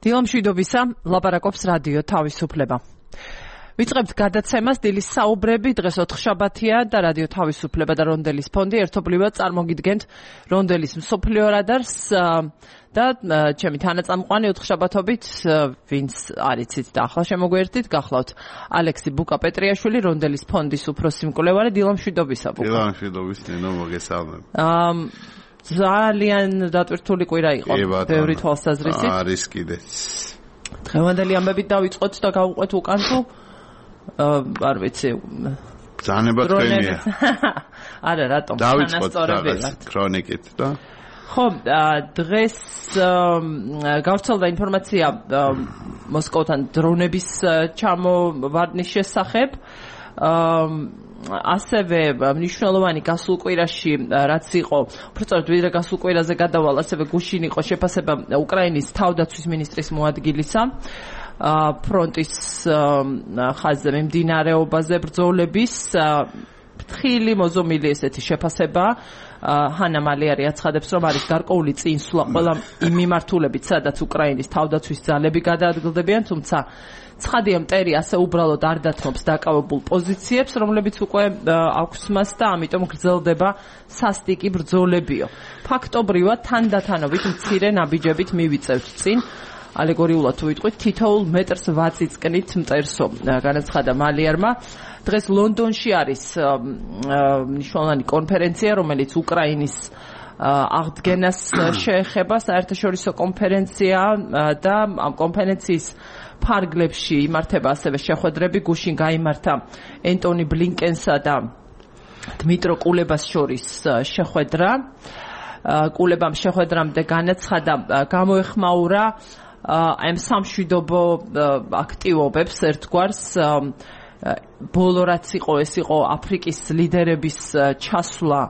დილამშვიდობისა, ლაპარაკობს რადიო თავისუფლება. ვიწყებთ გადაცემას დილის საუბრები, დღეს ოთხშაბათია და რადიო თავისუფლება და რონდელის ფონდი ერთობლივად წარმოგიდგენთ რონდელის მსოფლიო რადარს და ჩემი თანაწამყვანი ოთხშაბათობით ვინც არიცით და ახლა შემოგვერთით, გახლავთ ალექსი ბუკა-პეტრიაშვილი, რონდელის ფონდის უფროსი მკვლევარი. დილამშვიდობისა, ბუკა. დილამშვიდობის, ნინო, მოგესალმებ. ძალიან დატვირთული კვირა იყო, ბევრი თვალსაზრისით. არის კიდეც. დღევანდელი ამბებით დავიწყოთ და გავუყვეთ უკან თუ არ ვიცი. ძანება თქვენია. არა, რატომ? დავიწყოთ ქრონიკით და ხო, დღეს გავრცელდა ინფორმაცია მოსკოვთან დრონების ჩამოვარდნის შესახებ. ასევე მნიშვნელოვანი გასულ კვირაში რაც იყო, უბრალოდ ვიდრე გასულ კვირაზე გადავალ, ასევე გუშინ იყო შეფასება უკრაინის თავდაცვის მინისტრის მოადგილისა ფრონტის ხაზზე მიმდინარეობაზე ბრძოლების ფრთხილი მოზომილი ესეთი შეფასება. ჰანა მალიარი აცხადებს, რომ არის გარკვეული წინსვლა ყველა იმ მიმართულებით, სადაც უკრაინის თავდაცვის ძალები გადაადგილდებიან, თუმცა ცხადია, მტერი ასე უბრალოდ არ დათმობს დაკავებულ პოზიციებს, რომლებიც უკვე აქვს მას და ამიტომ გრძელდება სასტიკი ბრძოლებიო. ფაქტობრივად თანდათანობით მცირე ნაბიჯებით მივიწევთ წინ. ალეგორიულად თუ ვიტყვით, თითოეულ მეტრს ვაწიწკნით მტერსო, განაცხადა მალიარმა. დღეს ლონდონში არის მნიშვნელოვანი კონფერენცია, რომელიც უკრაინის აღდგენას შეეხება, საერთაშორისო კონფერენცია და ამ კონფერენციის ფარგლებში იმართება ასევე შეხვედრები. გუშინ გაიმართა ენტონი ბლინკენსა და დმიტრო კულებას შორის შეხვედრა. კულებამ შეხვედრამდე განაცხადა, გამოეხმაურა ამ სამშვიდობო აქტივობებს ერთგვარს. ბოლო რაც იყო, ეს იყო აფრიკის ლიდერების ჩასვლა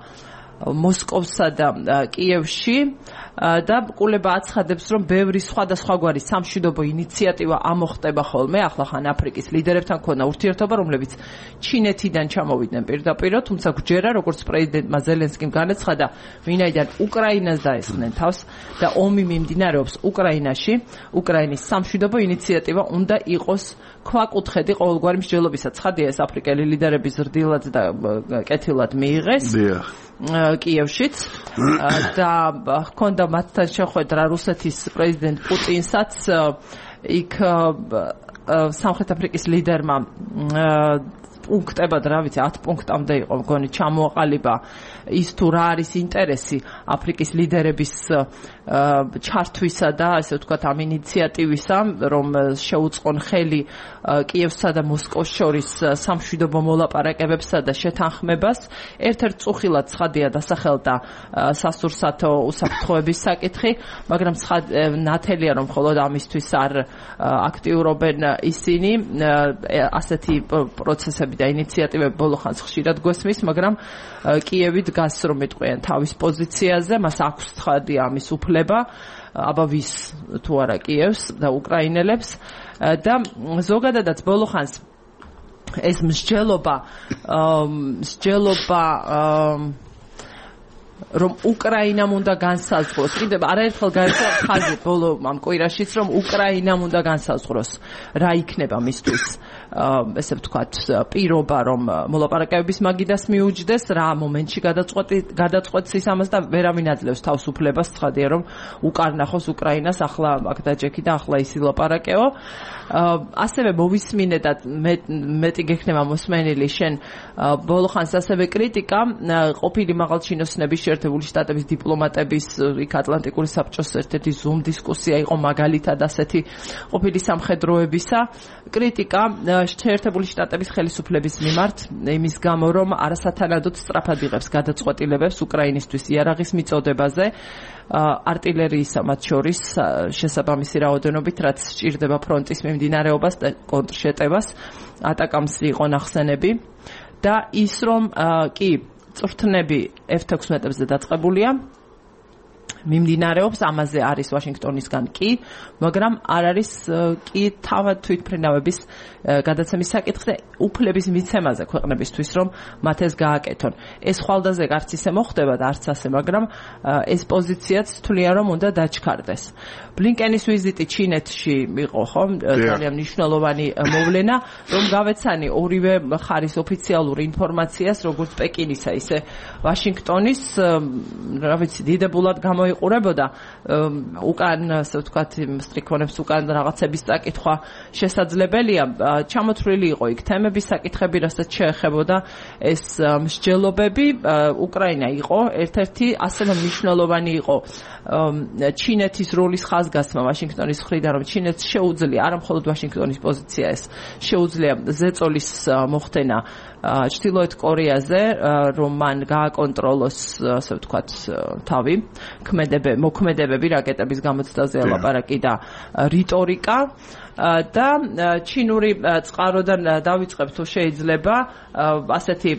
მოსკოვსა და კიევში და კულება აცხადებს, რომ ბევრი სხვადასხვაგვარი სამშვიდობო ინიციატივა ამოხტება ხოლმე. ახლა ხან აფრიკის ლიდერებთან ქონა ურთიერთობა, რომლებიც ჩინეთიდან ჩამოვიდნენ პირდაპირ, თუმცა გვჯერა, როგორც პრეზიდენტმა ზელენსკიმ განაცხადა, ვინაიდან უკრაინას დაესხნენ თავს და ომი მიმდინარეობს უკრაინაში, უკრაინის სამშვიდობო ინიციატივა უნდა იყოს ქვაკუთხედი ყოველგვარი მსჯელობისა. ცხადია, ეს აფრიკელი ლიდერები ზრდილად და კეთილად მიიღეს კიევშიც და ჰქონდა მათთან შეხვედრა რუსეთის პრეზიდენტ პუტინსაც. იქ სამხრეთ აფრიკის ლიდერმა პუნქტებად, რა ვიცი, 10 პუნქტამდე იყო მგონი ჩამოაყალიბა ის თუ რა არის ინტერესი აფრიკის ლიდერების ჩართვისა და ასე ვთქვათ ამ ინიციატივისა, რომ შეუწყონ ხელი კიევსა და მოსკოვს შორის სამშვიდობო მოლაპარაკებებსა და შეთანხმებას. ერთ-ერთ წუხილად ცხადია დასახელდა სასურსათო უსაფრთხოების საკითხი, მაგრამ ნათელია, რომ მხოლოდ ამისთვის არ აქტიურობენ ისინი. ასეთი პროცესები და ინიციატივები ბოლო ხანს ხშირად გვესმის, მაგრამ კიევი დგას, რომ მეტყვიან თავის პოზიციაზე, მას აქვს ცხადია ამის უფლება, აბა ვის თუ არა კიევს და უკრაინელებს და ზოგადადაც ბოლო ხანს ეს მსჯელობა რომ უკრაინამ უნდა განსაზღვროს. კიდევ არაერთხელ გაირკვა ხაზი ბოლო ამ კვირაშიც, რომ უკრაინამ უნდა განსაზღვროს რა იქნება მისთვის ესე ვთქვათ პირობა, რომ მოლაპარაკებების მაგიდას მიუჯდეს, რა მომენტში გადაწყვეტს ის ამას და ვერავინ აძლევს თავს უფლებას. ცხადია, რომ უკარნახოს უკრაინას, ახლა აქ დაჯექი და ახლა ის ილაპარაკეო. ასევე მოვისმინე და მეტი გექნება მოსმენილი შენ ბოლო ხანს ასევე კრიტიკა ყოფილი მაღალჩინოსნების შეერთებული შტატების დიპლომატების იქ ატლანტიკური საბჭოს ერთ-ერთი ზუმ დისკუსია იყო მაგალითად ასეთი ყოფილი სამხედროებისა. კრიტიკა შეერთებული შტატების ხელისუფლების მიმართ იმის გამო, რომ არასათანადოდ სწრაფად იღებს გადაწყვეტილებებს უკრაინისთვის იარაღის მიწოდებაზე, артиллерийისა მათ შორის შესაბამისი რაოდენობით, რაც სჭირდება ფრონტის მიმდინარეობას და კონტრშეტევას. ატაკამს იყო ნახსენები და ის, რომ კი წვრთნები F-16-ებზე დაწყებულია, მიმდინარეობს, ამაზე არის ვაშინგტონისგან კი, მაგრამ არ არის კი თავად თვითმფრინავების გადაცემის საკითხზე უფლების მიცემაზე ქვეყნებისთვის, რომ მათ ეს გააკეთონ. ეს ხვალდაზე არც ისე მოხდება და არც ასე, მაგრამ ეს პოზიციაც თვლიან, რომ უნდა დაჩქარდეს. ბლინკენის ვიზიტი ჩინეთში იყო, ხო? ძალიან მნიშვნელოვანი მოვლენა, რომ გავეცანი ორივე მხარის ოფიციალურ ინფორმაციას, როგორც პეკინისა, ისე ვაშინგტონის, რა ვიცი, დიდებულად გამოიყურებოდა უკან, ასე ვთქვათ, სტრიქონებს უკან რაღაცების წაკითხვა შესაძლებელია. ჩამოთვლილი იყო იქ თემების საკითხები, რასაც შეეხებოდა ეს მსჯელობები. უკრაინა იყო ერთ-ერთი ასე მნიშვნელოვანი იყო ჩინეთის როლის ხაზგასმა ვაშინგტონის მხრიდან, რომ ჩინეთს შეუძლია არა მხოლოდ ვაშინგტონის პოზიცია ეს, შეუძლია ზეწოლის მოხდენა ჩრდილოეთ კორეაზე, რომ მან გააკონტროლოს, ასე ვთქვათ, თავი, მოქმედებები რაკეტების გამოცდაზე ლაპარაკი და რიტორიკა. და ჩინური წყაროდან დავიწყებ თუ შეიძლება ასეთი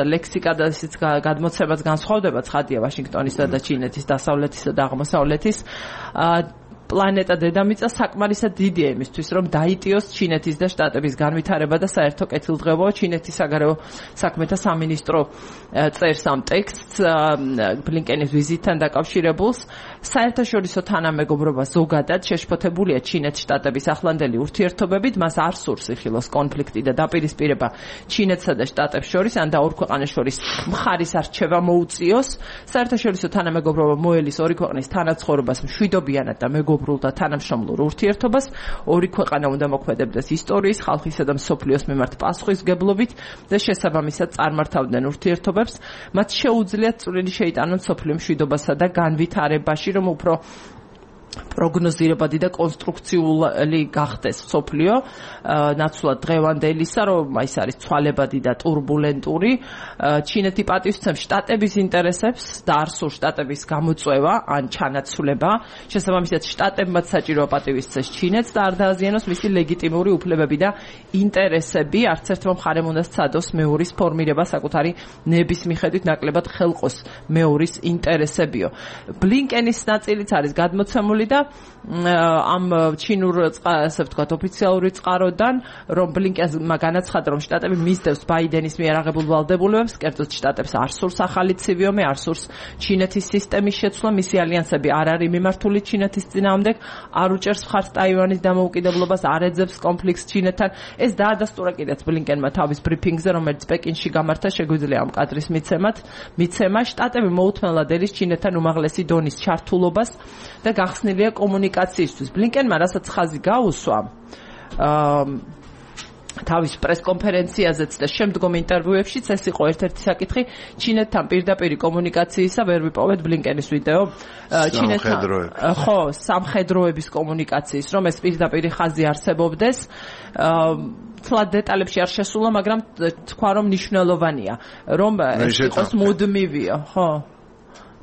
ლექსიკა და ისიც გადმოცემაც განსხვავდება ცხადია ვაშინგტონისა და ჩინეთის დასავლეთისა და აღმოსავლეთის პლანეტა დედამიწა საკმარისად დიდია იმისთვის, რომ დაიტიოს ჩინეთის და შტატების განვითარება და საერთო კეთილდღეობა. ჩინეთის საგარეო საქმეთა სამინისტრო წერს ამ ტექსტს ბლინკენის ვიზიტთან დაკავშირებულს. საერთაშორისო თანამეგობრობა ზოგადად შეშფოთებულია ჩინეთის შტატების ახლანდელი ურთიერთობებით, მას არ სურს იხილოს კონფლიქტი და დაპირისპირება ჩინეთსა და შტატებს შორის, ან და ორ ქვეყანას შორის მხარის არჩევა მოუწიოს. საერთაშორისო თანამეგობრობა მოელის ორი ქვეყნის თანაცხოვრებას მშვიდობიანად და მეგობრულ და თანამშრომლურ ურთიერთობას. ორი ქვეყანა უნდა მოქმედებდეს ისტორიის, ხალხისა და მსოფლიოს მიმართ პასუხისმგებლობით და შესაბამისად წარმართავდნენ ურთიერთობებს. მათ შეუძლიათ წვლილი შეიტანონ მსოფლიო მშვიდობასა და განვითარებაში, რომ უფრო პროგნოზირებადი და კონსტრუქციული გახდეს მსოფლიო, ნაცვლად დღევანდელისა, რომ ის არის ცვალებადი და ტურბულენტური. ჩინეთი პატივსცემს შტატების ინტერესებს და არ სურს შტატების გამოწვევა ან ჩანაცვლება. შესაბამისად, შტატებმაც საჭირო პატივისცეს ჩინეთს და არ დააზიანოს მისი ლეგიტიმური უფლებები და ინტერესები. არც ერთმა მხარემ უნდა სცადოს მეორის ფორმირება საკუთარი ნების მიხედვით ნაკლებად ხელყოს მეორის ინტერესებიო. ბლინკენის ნაწილიც არის გადმოცემული და ამ ჩინურ, ასე ვთქვათ, ოფიციალური წყაროდან, რომ ბლინკენმა განაცხადა, რომ შტატები მისდევს ბაიდენის მიერ აღებულ ვალდებულებებს, კერძოდ შტატებს არ სურს ახალი ცივიომი, არ სურს ჩინეთის სისტემის შეცვლა, მისი ალიანსები არ არის მიმართული ჩინეთის წინააღმდეგ, არ უჭერს მხარს ტაივანის დამოუკიდებლობას, არ ეძებს კონფლიქტს ჩინეთთან. ეს დაადასტურა კიდეც ბლინკენმა თავის ბრიფინგზე, რომელიც პეკინში გამართა, შეგვიძლია ამ კადრის მიცემა. შტატები მოუთმენლად ელის ჩინეთთან უმაღლესი დონის ჩართულობას და გახსნილია კომუნიკაციისთვის. ბლინკენმა რასაც ხაზი გაუსვა თავის პრესკონფერენციაზეც და შემდგომ ინტერვიუებშიც, ეს იყო ერთ-ერთი საკითხი ჩინეთთან პირდაპირი კომუნიკაციისა. ვერ ვიპოვეთ ბლინკენის ვიდეო ჩინეთთან, ხო, სამხედროების კომუნიკაციის, რომ ეს პირდაპირი ხაზი არსებობდეს. თლად დეტალებში არ შესულა, მაგრამ თქვა, რომ მნიშვნელოვანია, რომ ეს იყოს მუდმივია, ხო.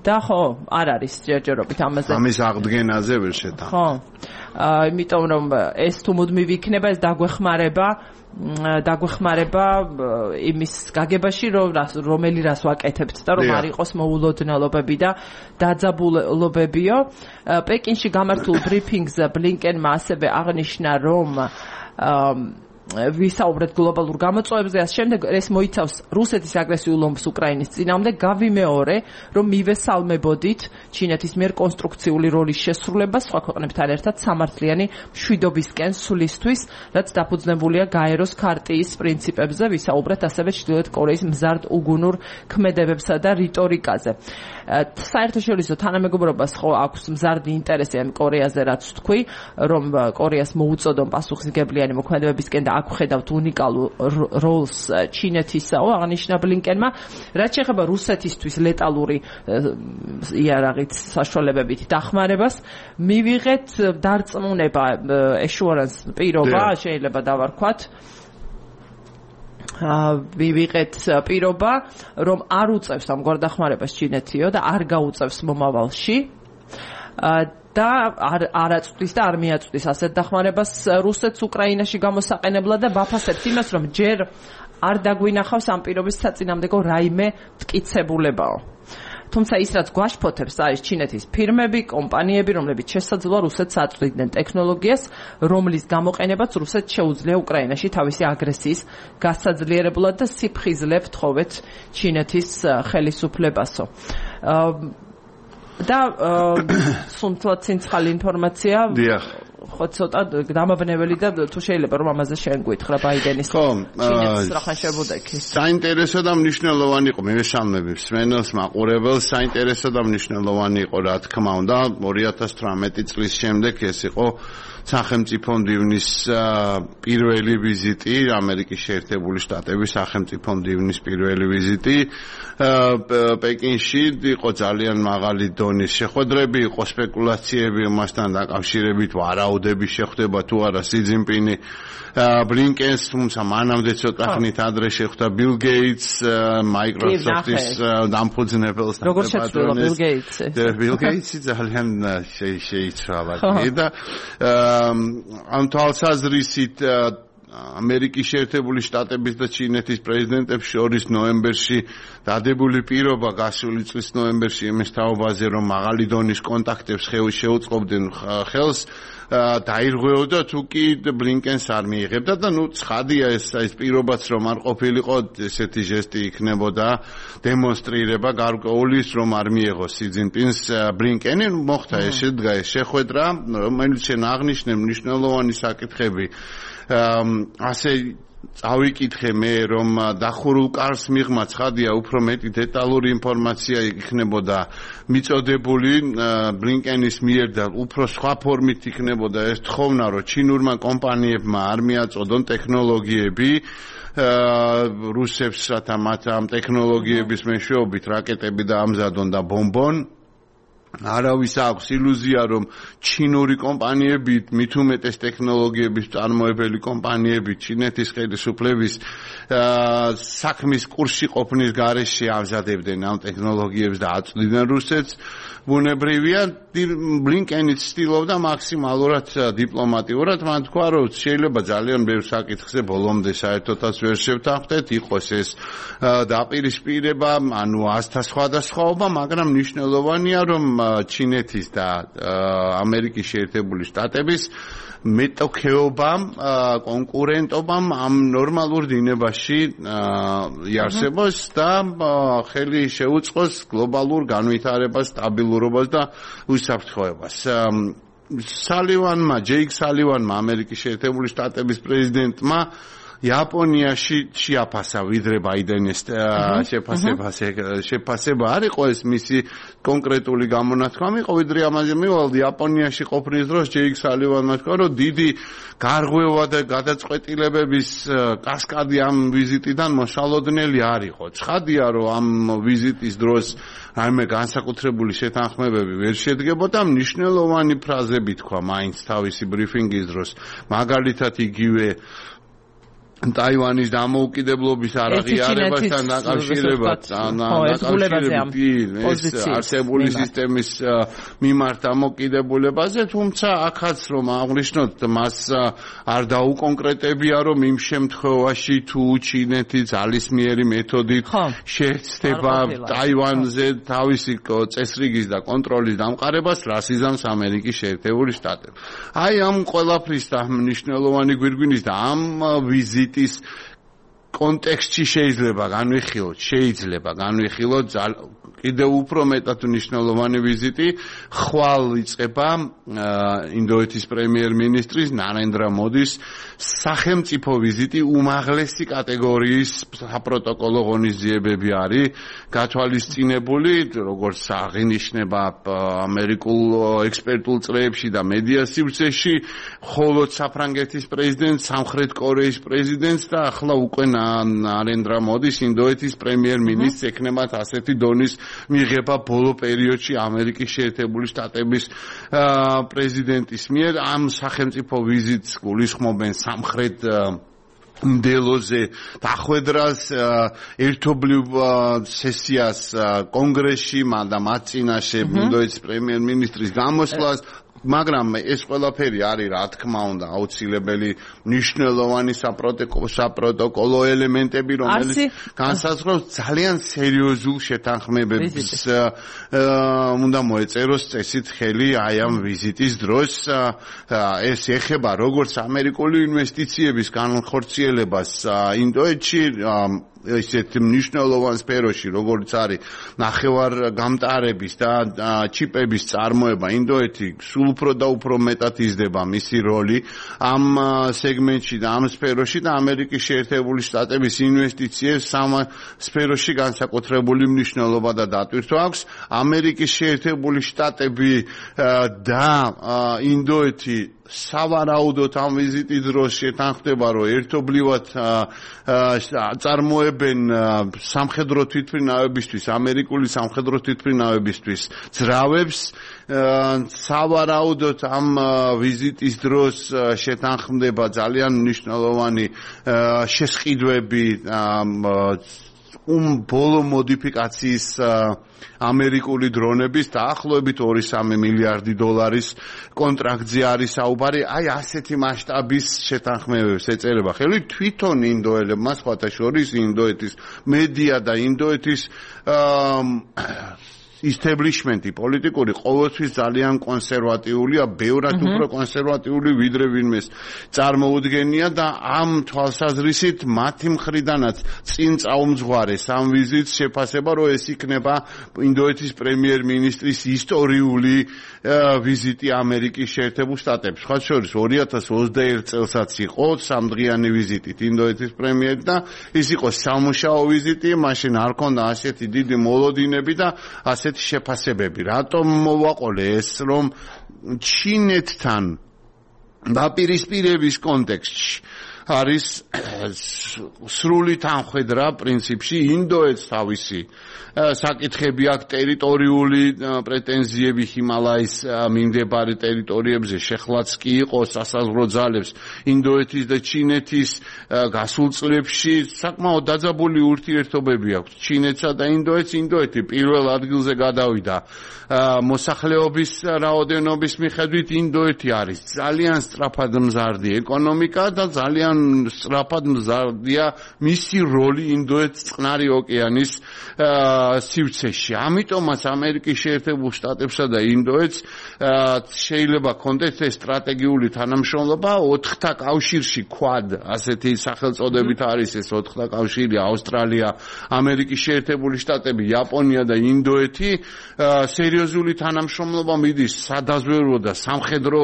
და ხო, არ არის ჯერჯერობით ამაზე. ამის აღდგენაზე ვერ შეტანხმდა. ხო. იმიტომ რომ ეს თუ მუდმივი იქნება, ეს დაგვეხმარება იმის გაგებაში, რომელი რას ვაკეთებთ და რომ არ იყოს მოულოდნელობები და დაძაბულობებიო. პეკინში გამართულ ბრიფინგზე ბლინკენმა ასევე აღნიშნა, რომ ვისაუბრეთ გლობალურ გამოწვევებზე, შემდეგ ეს მოიცავს რუსეთის აგრესიულ ომს უკრაინის წინააღმდეგ. გავიმეორე, რომ მივესალმებოდით ჩინეთის მიერ კონსტრუქციული როლის შესრულებას სხვა ქვეყნებთან ერთად სამართლიანი მშვიდობისკენ სვლისთვის, რაც დაფუძნებულია გაეროს ქარტიის პრინციპებზე. ვისაუბრეთ ასევე ჩრდილოეთ კორეის მზარდ უგუნურ ქმედებებსა და რიტორიკაზე. საერთაშორისო თანამეგობრობას ხო აქვს მზარდი ინტერესი ამ კორეაზე, რაც თქვი, რომ კორეას მოუწოდონ პასუხისმგებლიანი მოქმედებებისკენ და აქ ხედავთ უნიკალურ როლს ჩინეთისაო, აღნიშნა ბლინკენმა. რაც შეეხება რუსეთისთვის ლეტალური იარაღით საშუალებებით დახმარებას, მივიღეთ დარწმუნება, assurance პირობა, შეიძლება დავარქვათ. ვივიღეთ პირობა, რომ არ უწევს ამ გვარდახმარებას ჩინეთიო და არ გაუწევს მომავალში. და არ აწვდის და არ მიაწვდის ასეთ დახმარებას რუსეთს უკრაინაში გამოსაყენებლად და ვაფასებთ იმას, რომ ჯერ არ დაგვინახავს ამ პირობის საწინააღმდეგო რაიმე მტკიცებულებაო. თუმცა ის რაც გვაშფოთებს არის ჩინეთის ფირმები, კომპანიები, რომლებიც შესაძლოა რუსეთს აწვდიდნენ ტექნოლოგიას, რომლის გამოყენებაც რუსეთს შეუძლია უკრაინაში თავისი აგრესიის გასაძლიერებლად და სიფხიზლებ თხოვეთ ჩინეთის ხელისუფლებასო. და სუნთლად ცინცხალი ინფორმაცია. დიახ. ხო ცოტა დამაბნეველი და თუ შეიძლება რომ ამაზე შენ გვითხრა ბაიდენის ჩინეთის რახან შებუდექი. საინტერესო და მნიშვნელოვანი იყო მევესალმები მსმენელს მაყურებელს საინტერესო და მნიშვნელოვანი იყო რა თქმა უნდა 2018 წლის შემდეგ ეს იყო სახელმწიფო მდივნის პირველი ვიზიტი ამერიკის შეერთებული შტატების სახელმწიფო მდივნის პირველი ვიზიტი პეკინში იყო ძალიან მაღალი დონის შეხვედრები იყო სპეკულაციები მასთან დაკავშირებით ვარაუდები შეხვდება თუ არა სი ძინპინი ბლინკენს თუმცა მანამდე ცოტა ხნით ადრე შეხვდა ბილ გეიტს მაიკროსოფტის დამფუძნებელს როგორ შეხვდა ბილ გეიტსი ბილ გეიტსი ძალიან შეიცვალა და ამ თვალსაზრისით ამერიკის შეერთებული შტატების და ჩინეთის პრეზიდენტებს შორის ნოემბერში დადებული პირობა გასული წლის ნოემბერში იმის თაობაზე რომ მაღალი დონის კონტაქტებს შეუწყობდნენ ხელს დაირღვეოდა თუ კი ბლინკენს არ მიიღებდა და ნუ ცხადია ეს პირობაც რომ არ ყოფილიყო ესეთი ჟესტი იქნებოდა დემონსტრირება გარკვეულის რომ არ მიიღოს სი ძინპინს ბლინკენი მოხდა ეს შედგა ეს შეხვედრა რომელიც შენ აღნიშნე მნიშვნელოვანი საკითხები ასე წავიკითხე მე რომ დახურულ კარს მიღმა ცხადია უფრო მეტი დეტალური ინფორმაცია იქნებოდა მიწოდებული ბლინკენის მიერ და უფრო სხვა ფორმით იქნებოდა ეს თხოვნა რომ ჩინურმა კომპანიებმა არ მიაწოდონ ტექნოლოგიები რუსებს რათა მათ ამ ტექნოლოგიების მეშვეობით რაკეტები დაამზადონ და ბომბონ არავის აქვს ილუზია რომ ჩინური კომპანიები მით უმეტეს ტექნოლოგიების წარმოებელი კომპანიები ჩინეთის ხელისუფლების საქმის კურსში ყოფნის გარეშე ამზადებდნენ ამ ტექნოლოგიებს და აწვდიდნენ რუსეთს ბუნებრივია ბლინკენიც ცდილობდა მაქსიმალურად დიპლომატიურად მან თქვა რომ შეიძლება ძალიან ბევრ საკითხზე ბოლომდე საერთოდაც ვერ შევთანხმდეთ იყოს ეს დაპირისპირება ანუ ასთა სხვადასხვაობა მაგრამ მნიშვნელოვანია რომ ჩინეთის და ამერიკის შეერთებული შტატების მეტოქეობამ კონკურენტობამ ამ ნორმალურ დინებაში იარსებოს და ხელი შეუწყოს გლობალურ განვითარებას, სტაბილურობას და უსაფრთხოებას. ჯეიკ სალივანმა ამერიკის შეერთებული შტატების პრეზიდენტმა იაპონიაში შეაფასა ვიდრე ბაიდენის შეფასება არ იყო ეს მისი კონკრეტული გამონათქვამი იყო ვიდრე ამაზე მივალ იაპონიაში ყოფნის დროს ჯეიკ სალივანმა თქვა რომ დიდი გარღვევა და გადაწყვეტილებების კასკადი ამ ვიზიტიდან მოშალოდნელი არ იყო ცხადია რომ ამ ვიზიტის დროს რაიმე განსაკუთრებული შეთანხმებები ვერ შედგებოდა მნიშვნელოვანი ფრაზები თქვა მაინც თავისი ბრიფინგის დროს მაგალითად იგივე ტაივანის დამოუკიდებლობის არაღიარებასთან დაკავშირებით არსებული სისტემის მიმართ დამოუკიდებულებაზე თუმცა აქაც რომ აღნიშნოთ მას არ დაუკონკრეტებია რომ იმ შემთხვევაში თუ ჩინეთი ძალისმიერი მეთოდით შეეცდება ტაივანზე თავისი წესრიგის და კონტროლის დამყარებას რას იზამს ამერიკის შეერთებული შტატები აი ამ ყველაფრის და მნიშვნელოვანი გვირგვინის და ამ ვიზიტის კონტექსტში შეიძლება განვიხილოთ კიდევ უფრო მეტად მნიშვნელოვანი ვიზიტი ხვალ იწყება ინდოეთის პრემიერ-მინისტრის ნარენდრა მოდის სახელმწიფო ვიზიტი უმაღლესი კატეგორიის საპროტოკოლო ღონისძიებები არის გათვალისწინებული როგორც აღინიშნება ამერიკულ ექსპერტულ წრეებში და მედია სივრცეში ხოლო საფრანგეთის პრეზიდენტ სამხრეთ კორეის პრეზიდენტს და ახლა უკვე ნარენდრა მოდის ინდოეთის პრემიერ-მინისტრს ექნებათ ასეთი დონის მიღება ბოლო პერიოდში ამერიკის შეერთებული შტატების პრეზიდენტის მიერ ამ სახელმწიფო ვიზიტს გულისხმობენ სამხრეთ მდელოზე დახვედრას ერთობლივ სესიას კონგრესში და მათ წინაშე ინდოეთის პრემიერ-მინისტრის გამოსვლას მაგრამ ეს ყველაფერი არის რა თქმა უნდა აუცილებელი მნიშვნელოვანი საპროტოკოლო ელემენტები რომელიც განსაზღვრავს ძალიან სერიოზულ შეთანხმებებს უნდა მოეწეროს წესით ხელი აი ამ ვიზიტის დროს ეს ეხება როგორც ამერიკული ინვესტიციების განხორციელებას ინდოეთში ესეთ მნიშვნელოვან სფეროში როგორც არის ნახევარგამტარების და ჩიპების წარმოება ინდოეთი სულ უფრო და უფრო მეტად იზრდება მისი როლი ამ სეგმენტში და ამ სფეროში და ამერიკის შეერთებული შტატების ინვესტიციებს ამ სფეროში განსაკუთრებული მნიშვნელობა და დატვირთვა აქვს ამერიკის შეერთებული შტატები და ინდოეთი სავარაუდოდ ამ ვიზიტის დროს შეთანხმდება რომ ერთობლივად წარმოებენ სამხედრო თვითმფრინავებისთვის ამერიკული სამხედრო თვითმფრინავებისთვის ძრავებს სავარაუდოდ ამ ვიზიტის დროს შეთანხმდება ძალიან მნიშვნელოვანი შესყიდვები ბოლო მოდიფიკაციის ამერიკული დრონების დაახლოებით 2-3 მილიარდი დოლარის კონტრაქტზე არის საუბარი აი ასეთი მასშტაბის შეთანხმებებს ეწერება ხელი თვითონ ინდოელებმა სხვათა შორის ინდოეთის მედია და ინდოეთის establishment-ი პოლიტიკური ყოველთვის ძალიან კონსერვატიულია, ბევრად უფრო კონსერვატიული ვიდრე ვინმეს წარმოუდგენია და ამ თვალსაზრისით მათი მხრიდანაც წინ წაუმძღვარეს ამ ვიზიტს შეფასება, რომ ეს იქნება ინდოეთის პრემიერ-მინისტრის ისტორიული ვიზიტი ამერიკის შეერთებულ შტატებში. სხვა შორის 2021 წელსაც იყო სამდღიანი ვიზიტით ინდოეთის პრემიერი და ის იყო სამუშაო ვიზიტი, მაშინ არ ქონდა ასეთი დიდი მოლოდინები და ასეთი შეფასებები. რატომ მოვაყოლე ეს, რომ ჩინეთთან დაპირისპირების კონტექსტში არის სრული თანხმედრა პრინციპში ინდოეთს თავისი საკითხები აქვს ტერიტორიული პრეტენზიები ჰიმალაის მიმდებარე ტერიტორიებზე შეხლაც კი იყო სასაზღვრო ძალებს ინდოეთის და ჩინეთის გასულ წლებში საკმაოდ დაძაბული ურთიერთობები აქვს ჩინეთსა და ინდოეთს ინდოეთი პირველ ადგილზე გადავიდა მოსახლეობის რაოდენობის მიხედვით ინდოეთი არის ძალიან სწრაფად მზარდი ეკონომიკა და ძალიან სწრაფად მზარდია მისი როლი ინდოეთის წყნარი ოკეანის სივრცეში. ამიტომაც ამერიკის შეერთებულ შტატებსა და ინდოეთს შეიძლება კონდეს ეს სტრატეგიული თანამშრომლობა 4-თა კავშირში Quad ასეთი სახელწოდებით არის ეს 4-თა კავშირი ავსტრალია, ამერიკის შეერთებული შტატები, იაპონია და ინდოეთი სერიოზული თანამშრომლობა მიდის სადაზვერვო და სამხედრო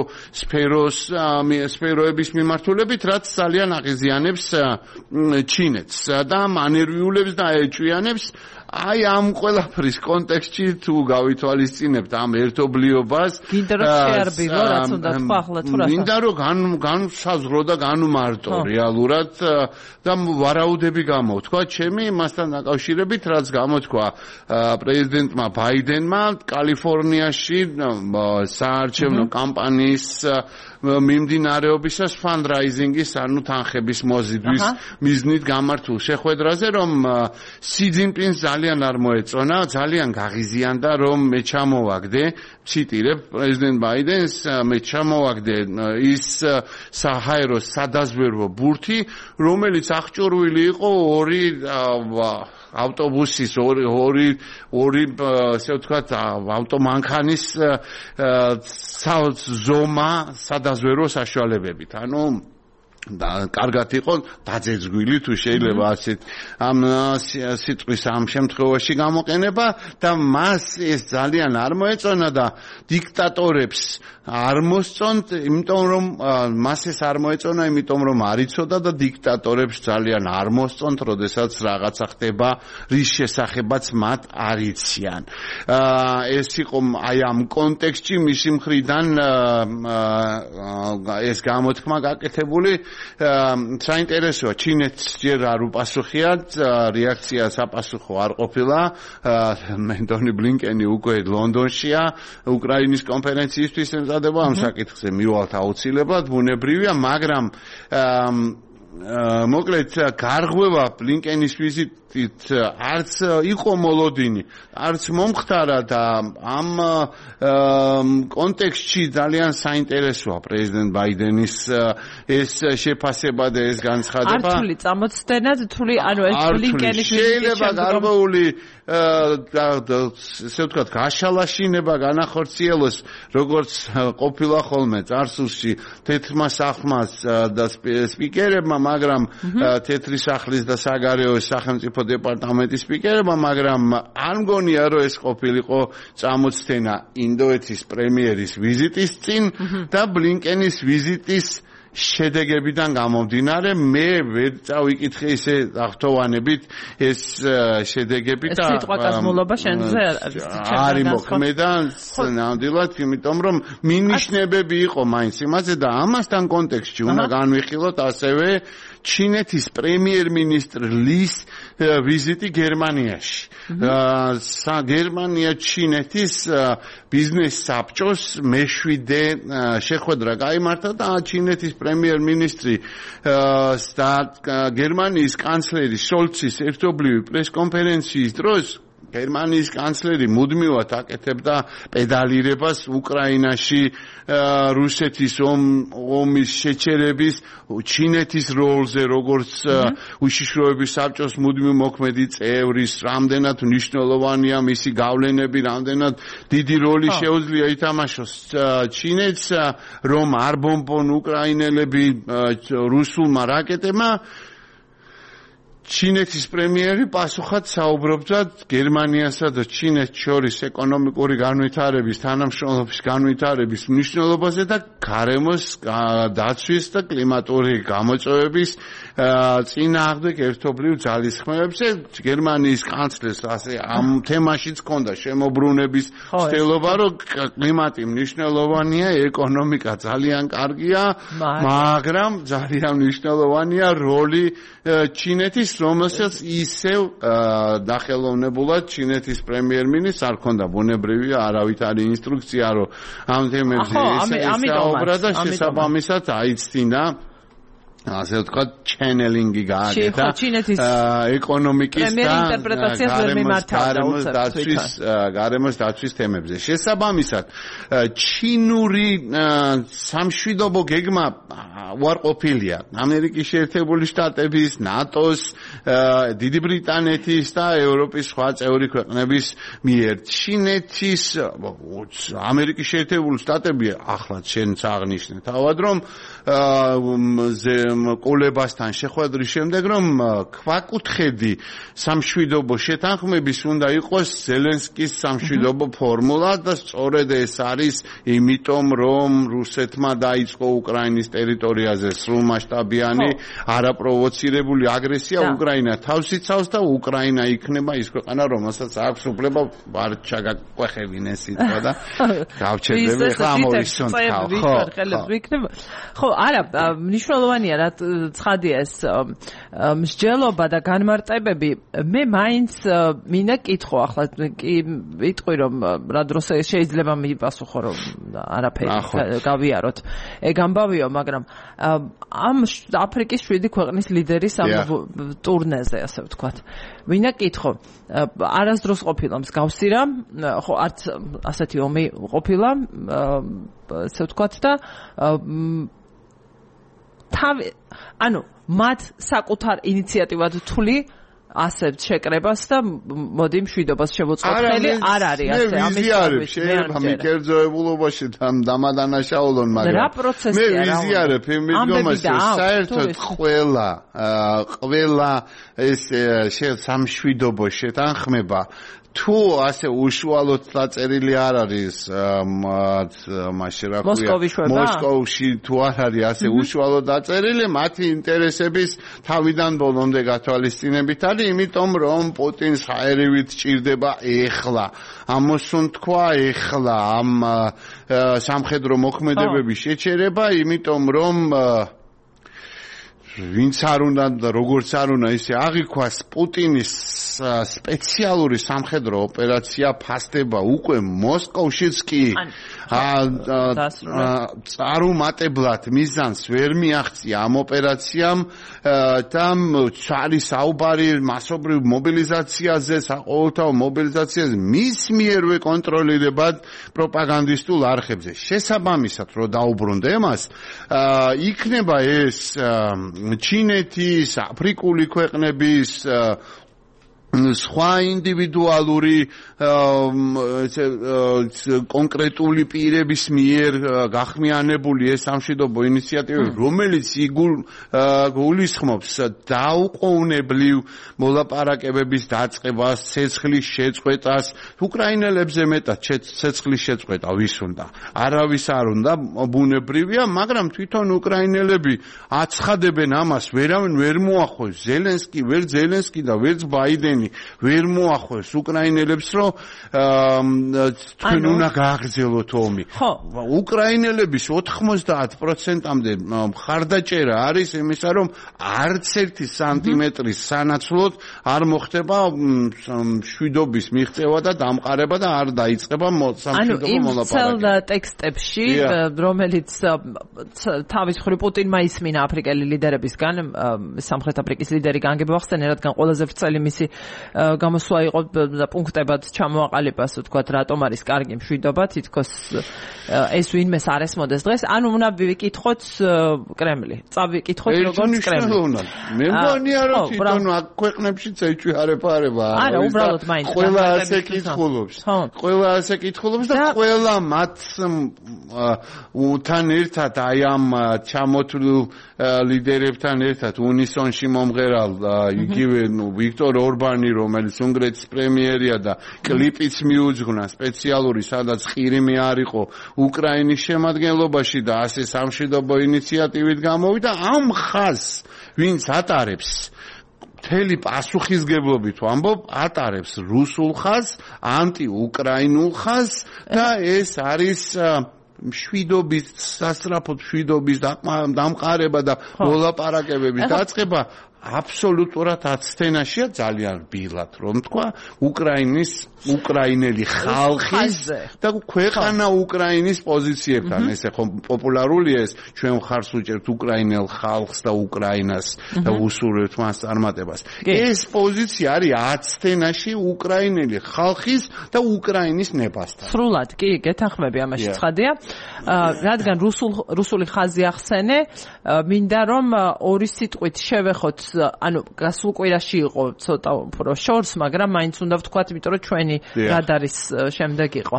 სფეროების მიმართულებით, რაც ძალიან აღიზიანებს ჩინეთს და მანერვიულებს და ეჭვიანებს აი ამ ყველაფრის კონტექსტში თუ გავითვალისწინებთ ამ ერთობლიობას გინდა რომ შეარბილო რაც უნდა თქვა ახლა თუ რა გინდა რომ განსაზღვრო და განუმარტო რეალურად და ვარაუდები გამოთქვა ჩემი მასთან დაკავშირებით რაც გამოთქვა პრეზიდენტმა ბაიდენმა კალიფორნიაში საარჩევნო კამპანიის მიმდინარეობისას ფანდრაიზინგის ანუ თანხების მოზიდვის მიზნით გამართულ შეხვედრაზე რომ სი ძინპინს ძალიან არ მოეწონა, ძალიან გაღიზიანდა რომ მე ჩამოვაგდე, ციტირებ პრეზიდენტ ბაიდენს, მე ჩამოვაგდე ის საჰაერო სადაზვერვო ბურთი, რომელიც აღჭურვილი იყო ორი ავტობუსის ორი ასე ვთქვათ ავტომანქანის ზომა სადაზვერვო საშუალებებით. ანუ და კარგად იყო დაძეძგვილი თუ შეიძლება ასეთ ამ სიტყვის ამ შემთხვევაში გამოყენება და მას ეს ძალიან არ მოეწონა და დიქტატორებს არ მოსწონთ, იმიტომ რომ მას ეს არ მოეწონა, იმიტომ რომ არ იცოდა და დიქტატორებს ძალიან არ მოსწონთ, როდესაც რაღაცა ხდება, რის შესახებაც მათ არ იციან. ეს იყო აი ამ კონტექსტში მისი მხრიდან ეს გამოთქმა გაკეთებული საინტერესოა ჩინეთს ჯერ არ უპასუხია რეაქცია საპასუხო არ ყოფილა მენდონი ბლინკენი უკვე ლონდონშია უკრაინის კონფერენციისთვის ემზადება ამ საკითხზე მივალთ აუცილებლად ბუნებრივია მაგრამ მოკლედ გარღვევა ბლინკენის ვიზიტით არც იყო მოლოდინი, არც მომხდარა და ამ კონტექსტში ძალიან საინტერესოა პრეზიდენტ ბაიდენის ეს შეფასება და ეს განცხადება. ართული წამოწდენად თული ანუ ეს ბლინკენის შეიძლება გარღვეული ესე ვთქვათ გაშალაშინება განახორციელოს როგორც ყოფილა ხოლმე წარსულში თეთრმა სახლმას და სპიკერებმა, მაგრამ თეთრი სახლის და საგარეო სახელმწიფო დეპარტამენტის სპიკერებმა, მაგრამ არ მგონია რომ ეს ყოფილიყო წამოწდენა ინდოეთის პრემიერის ვიზიტის წინ და ბლინკენის ვიზიტის შედეგებიდან გამომდინარე მე ვერ წავიკითხე ისე აღთოვანებით ეს შედეგები და სიტყვა კაზმულობა შენზე არის მოქმედა ნამდვილად, იმიტომ რომ მინიშნებები იყო მაინც იმაზე და ამასთან კონტექსტში უნდა განვიხილოთ ასევე ჩინეთის პრემიერ-მინისტრ ლის ვიზიტი გერმანიაში. გერმანია ჩინეთის ბიზნეს საბჭოს მეშვიდე შეხვედრა გაიმართა და ჩინეთის პრემიერ-მინისტრი და გერმანიის კანცლერი შოლცის ერთობლივი პრესკონფერენციის დროს გერმანიის კანცლერი მუდმივად აკეთებდა პედალირებას უკრაინაში რუსეთის ომის შეჩერების ჩინეთის როლზე როგორც უშიშროების საბჭოს მუდმივ მოქმედი წევრის რამდენად მნიშვნელოვანია მისი გავლენები რამდენად დიდი როლი შეუძლია ითამაშოს ჩინეთს რომ არ ბომბონ უკრაინელები რუსულმა რაკეტებმა ჩინეთის პრემიერი პასუხად საუბრობდა გერმანიასა და ჩინეთს შორის ეკონომიკური განვითარების, თანამშრომლობის განვითარების მნიშვნელობაზე და გარემოს დაცვის და კლიმატური გამოწვევების წინააღმდეგ ერთობლივ ძალისხმევებზე. გერმანიის კანცლერს ასე ამ თემაშიც ჰქონდა შემოbrunების ცდილობა, რომ კლიმატი მნიშვნელოვანია, ეკონომიკა ძალიან კარგია, მაგრამ ძალიან მნიშვნელოვანია როლი ჩინეთის რომელსაც ისევ დახელოვნებულად ჩინეთის პრემიერ-მინისტრს არ ქონდა ბუნებრივია არავითარი ინსტრუქცია რომ ამ თემებზე ესაუბრა და შესაბამისად აიცდინა ასე ვთქვათ ჩენელინგი გააკეთა ეკონომიკის და გარემოს დაცვის თემებზე. შესაბამისად ჩინური სამშვიდობო გეგმა უარყოფილია ამერიკის შეერთებული შტატების, ნატოს, დიდი ბრიტანეთის და ევროპის სხვა წევრი ქვეყნების მიერ. ჩინეთის ამერიკის შეერთებული შტატები ახლაც შენც აღნიშნე თავად რომ კოლებასთან შეხვედრის შემდეგ რომ ქვაკუთხედი სამშვიდობო შეთანხმების უნდა იყოს ზელენსკის სამშვიდობო ფორმულა და სწორედ ეს არის იმიტომ რომ რუსეთმა დაიწყო უკრაინის ტერიტორიაზე სრულმასშტაბიანი არაპროვოცირებული აგრესია უკრაინა თავს იცავს და უკრაინა იქნება ის ქვეყანა რომელსაც აქვს უფლება არ ჩაგაკვეხებინეს სიტყვა და გავჩერდები ახლა ამოვისუნთქავ ხო არა მნიშვნელოვანია რა ცხადია ეს მსჯელობა და განმარტებები მე მაინც მინდა კითხო ახლა კი ვიტყვი რომ რა დროს შეიძლება მიპასუხო რომ არაფერი გავიაროთ ეგ ამბავიო მაგრამ ამ აფრიკის 7 ქვეყნის ლიდერის ამ ტურნეზე ასე ვთქვათ მინდა კითხო არასდროს ყოფილა მსგავსი რა ხო არც ასეთი ომი ყოფილა ასე ვთქვათ და ანუ მათ საკუთარ ინიციატივად თვლი ასევ შეკრებას და მოდი მშვიდობას შევუწყოთ არ არის ასე ამის შეიძლება მიკერძოებულობაში დამადანაშაულონ მაგრამ რა პროცესია რა მე ვიზიარებ იმდგომას საერთოდ ყველა ეს სამშვიდობო შეთანხმება თუ ასე უშუალოდ დაწერილი არ არის მაშინ რა ქვია მოსკოვში თუ არ არის ასე უშუალოდ დაწერილი მათი ინტერესების თავიდან ბოლომდე გათვალისწინებით არის იმიტომ რომ პუტინს ჰაერივით ჭირდება ეხლა ამოსუნთქვა ეხლა ამ სამხედრო მოქმედებების შეჩერება იმიტომ რომ ვინც არ უნდა და როგორც არ უნდა ისე აღიქვას პუტინის სპეციალური სამხედრო ოპერაცია ფასდება უკვე მოსკოვშიც კი წარუმატებლად მიზანს ვერ მიაღწია ამ ოპერაციამ და არის საუბარი მასობრივ მობილიზაციაზე, საყოველთაო მობილიზაციაზე მის მიერვე კონტროლირებად პროპაგანდისტულ არხებზე. შესაბამისად, რო დაუბრუნდა εμას, იქნება ეს ჩინეთის, აფრიკული ქვეყნების სხვა ინდივიდუალური კონკრეტული პირების მიერ გახმიანებული ეს სამშვიდობო ინიციატივები, რომელიც გულისხმობს დაუყოვნებლივ მოლაპარაკებების დაწყებას, ცეცხლის შეწყვეტას, უკრაინელებზე მეტად ცეცხლის შეწყვეტა ვის უნდა? არავის არ უნდა, ბუნებრივია, მაგრამ თვითონ უკრაინელები აცხადებენ ამას, ვერავინ ვერ მოახოს ზელენსკი და ვერც ბაიდენი ვერ მოახოს უკრაინელებს, რომ თქვენ უნდა გააგრძელოთ ომი. უკრაინელების 90%-მდე მხარდაჭერა არის იმისა, რომ არც ერთი სანტიმეტრის სანაცვლოდ არ მოხდება მშვიდობის მიღწევა და დამყარება და არ დაიწყება სამშვიდობო მოლაპარაკება. იმ ტექსტებში, რომელიც თავის მხრივ პუტინმა ისმინა აფრიკელი ლიდერებისგან, სამხრეთ აფრიკის ლიდერი განგები ახსენე, რადგან ყველაზე ვრცელი მისი გამოსვლა იყო და პუნქტებად ჩამოაყალიბეს, ვთქვათ, რატომ არის კარგი მშვიდობა, თითქოს ეს ვინმეს არ ესმოდეს დღეს. ანუ უნდა ვიკითხოთ კრემლი. წავიკითხოთ როგორც კრემლი. მე მგონია, რომ თვითონ აქ ქვეყნებშიც ეჩვიარება. არა, უბრალოდ მაინც ყველა ასე კითხულობს. ყველა ასე კითხულობს და ყველა მათ თან ერთად აი ამ ჩამოთვლილ ლიდერებთან ერთად უნისონში მომღერალ იგივე ვიქტორ ორბანი, რომელიც უნგრეთის პრემიერია და კლიპიც მიუძღვნა სპეციალური, სადაც ყირიმი არ იყო უკრაინის შემადგენლობაში და ასე სამშვიდობო ინიციატივით გამოვიდა. ამ ხაზს ვინც ატარებს, მთელი პასუხისგებლობით ვამბობ, ატარებს რუსულ ხაზს, ანტიუკრაინულ ხაზს და ეს არის მშვიდობის, სასწრაფო მშვიდობის დამყარება და მოლაპარაკებების დაწყება. აბსოლუტურად აცთენაშია, ძალიან რბილად რომ თქვა, უკრაინელი ხალხის და ქვეყანა უკრაინის პოზიციებთან. ესე ხომ პოპულარულია ეს, ჩვენ ხარს უჭერთ უკრაინელ ხალხს და უკრაინას და უსურვებთ მას წარმატებას. ეს პოზიცია არის აცთენაში უკრაინელი ხალხის და უკრაინის ნებასთან. სრულად კი, გეთანხმები ამაში ცხადია. რადგან რუსული ხაზი ახსენე, მინდა რომ ორი სიტყვით შევეხოთ, ანუ გასულ კვირაში იყო ცოტა უფრო შორს, მაგრამ მაინც უნდა ვთქვათ, იმიტომ რომ ჩვენი რადარის შემდეგ იყო.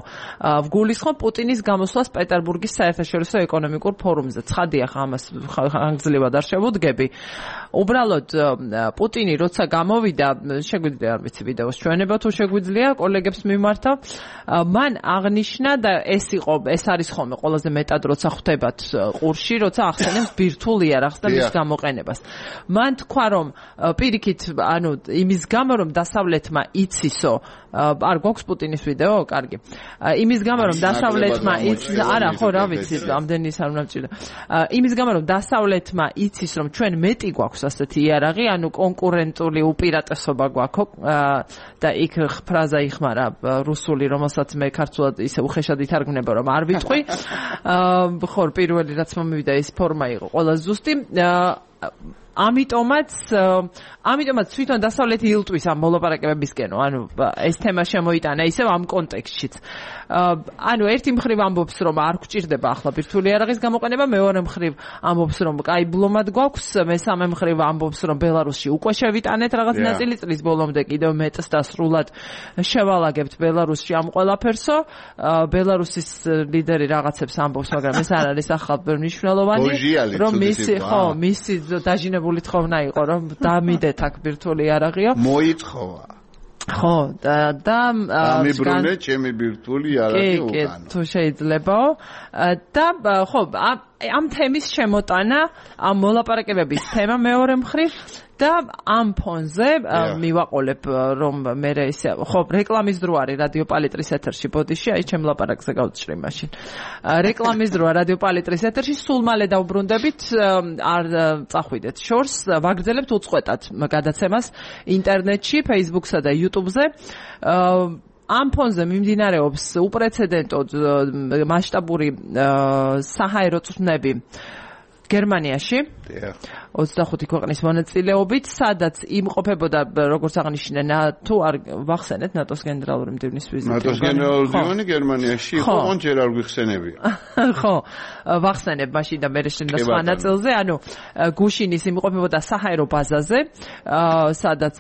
ვგულისხმობ პუტინის გამოსვლას პეტერბურგის საერთაშორისო ეკონომიკურ ფორუმზე. ცხადია, ამას ხანგრძლივად არ შევუდგები. უბრალოდ პუტინი როცა გამოვიდა, შეგვიძლია არ ვიცი ვიდეოს ჩვენება თუ შეგვიძლია კოლეგებს მიმართავ, მან აღნიშნა და ეს არის ხოლმე ყველაზე მეტად როცა ხვდებათ ყურში, როცა ახსენებს ბირთვულ იარაღს და მის გამოყენებას. მან თქვა, რომ პირიქით, ანუ იმის გამო, რომ დასავლეთმა იცისო, არ გვაქვს პუტინის ვიდეო, კარგი. იმის გამო, რომ დასავლეთმა იცის, არა, ხო, რა ვიცი, ამდენი არ უნდა მჭირდა. იმის გამო, რომ დასავლეთმა იცის, რომ ჩვენ მეტი გვაქვს ასეთი იარაღი, ანუ კონკურენტული უპირატესობა გვაქვს და იქ ფრაზა იხმარა რუსული, რომელსაც მე ქართულად ისე უხეშად ითარგმნება, რომ არ ვიტყვი. ხო, პირველი რაც მომივიდა ის ფორმა იყო ყველა ზუსტი. ამიტომაც თვითონ დასავლეთი ილტვის ამ მოლაპარაკებებისკენო, ანუ ეს თემა შემოიტანა ისევ ამ კონტექსტშიც. ანუ ერთი მხრივ ამბობს, რომ არ გვჭირდება ახლა ბირთვული იარაღის გამოყენება, მეორე მხრივ ამბობს, რომ კაი ბლომად გვაქვს, მესამე მხრივ ამბობს, რომ ბელარუსში უკვე შევიტანეთ რაღაც ნაწილი, წლის ბოლომდე კიდევ მეტს და სრულად შევალაგებთ ბელარუსში ამ ყველაფერსო. ბელარუსის ლიდერი რაღაცებს ამბობს, მაგრამ ეს არ არის ახალ მნიშვნელოვანი, რომ მისი დაჟინებული თხოვნა იყო, რომ დამიდეთ აქ ბირთვული იარაღიო. მოითხოვა. ხო, და ამიბრუნე ჩემი ბირთვული იარაღი უკან. თუ შეიძლებაო. და ხო, ამ თემის შემოტანა, ამ მოლაპარაკებების თემა მეორე მხრივ და ამ ფონზე მივაყოლებ, რომ მე ისე ხო, რეკლამის დრო არის რადიო პალიტრის ეთერში ბოდიში, აი ჩემ ლაპარაკზე გავწჭრი მაშინ. რეკლამის დროა რადიო პალიტრის ეთერში, სულ მალე დავბრუნდებით, არ წახვიდეთ შორს, ვაგრძელებთ უწყვეტად გადაცემას ინტერნეტში, Facebook-სა და YouTube-ზე. ამ ფონზე მიმდინარეობს უპრეცედენტო მასშტაბური საჰაერო წვრთნები გერმანიაში 25 ქვეყნის მონაწილეობით, სადაც იმყოფებოდა, როგორც აღნიშნე, თუ არ ვახსენეთ ნატოს გენერალური მდივნის ვიზიტი. ნატოს გენერალური მდივანი გერმანიაში იყო, ჯერ არ გვიხსენებია. ხო, ვახსენებ მაშინ და მე შენა სხვა ნაწილზე, ანუ გუშინის იმყოფებოდა საჰაერო ბაზაზე, სადაც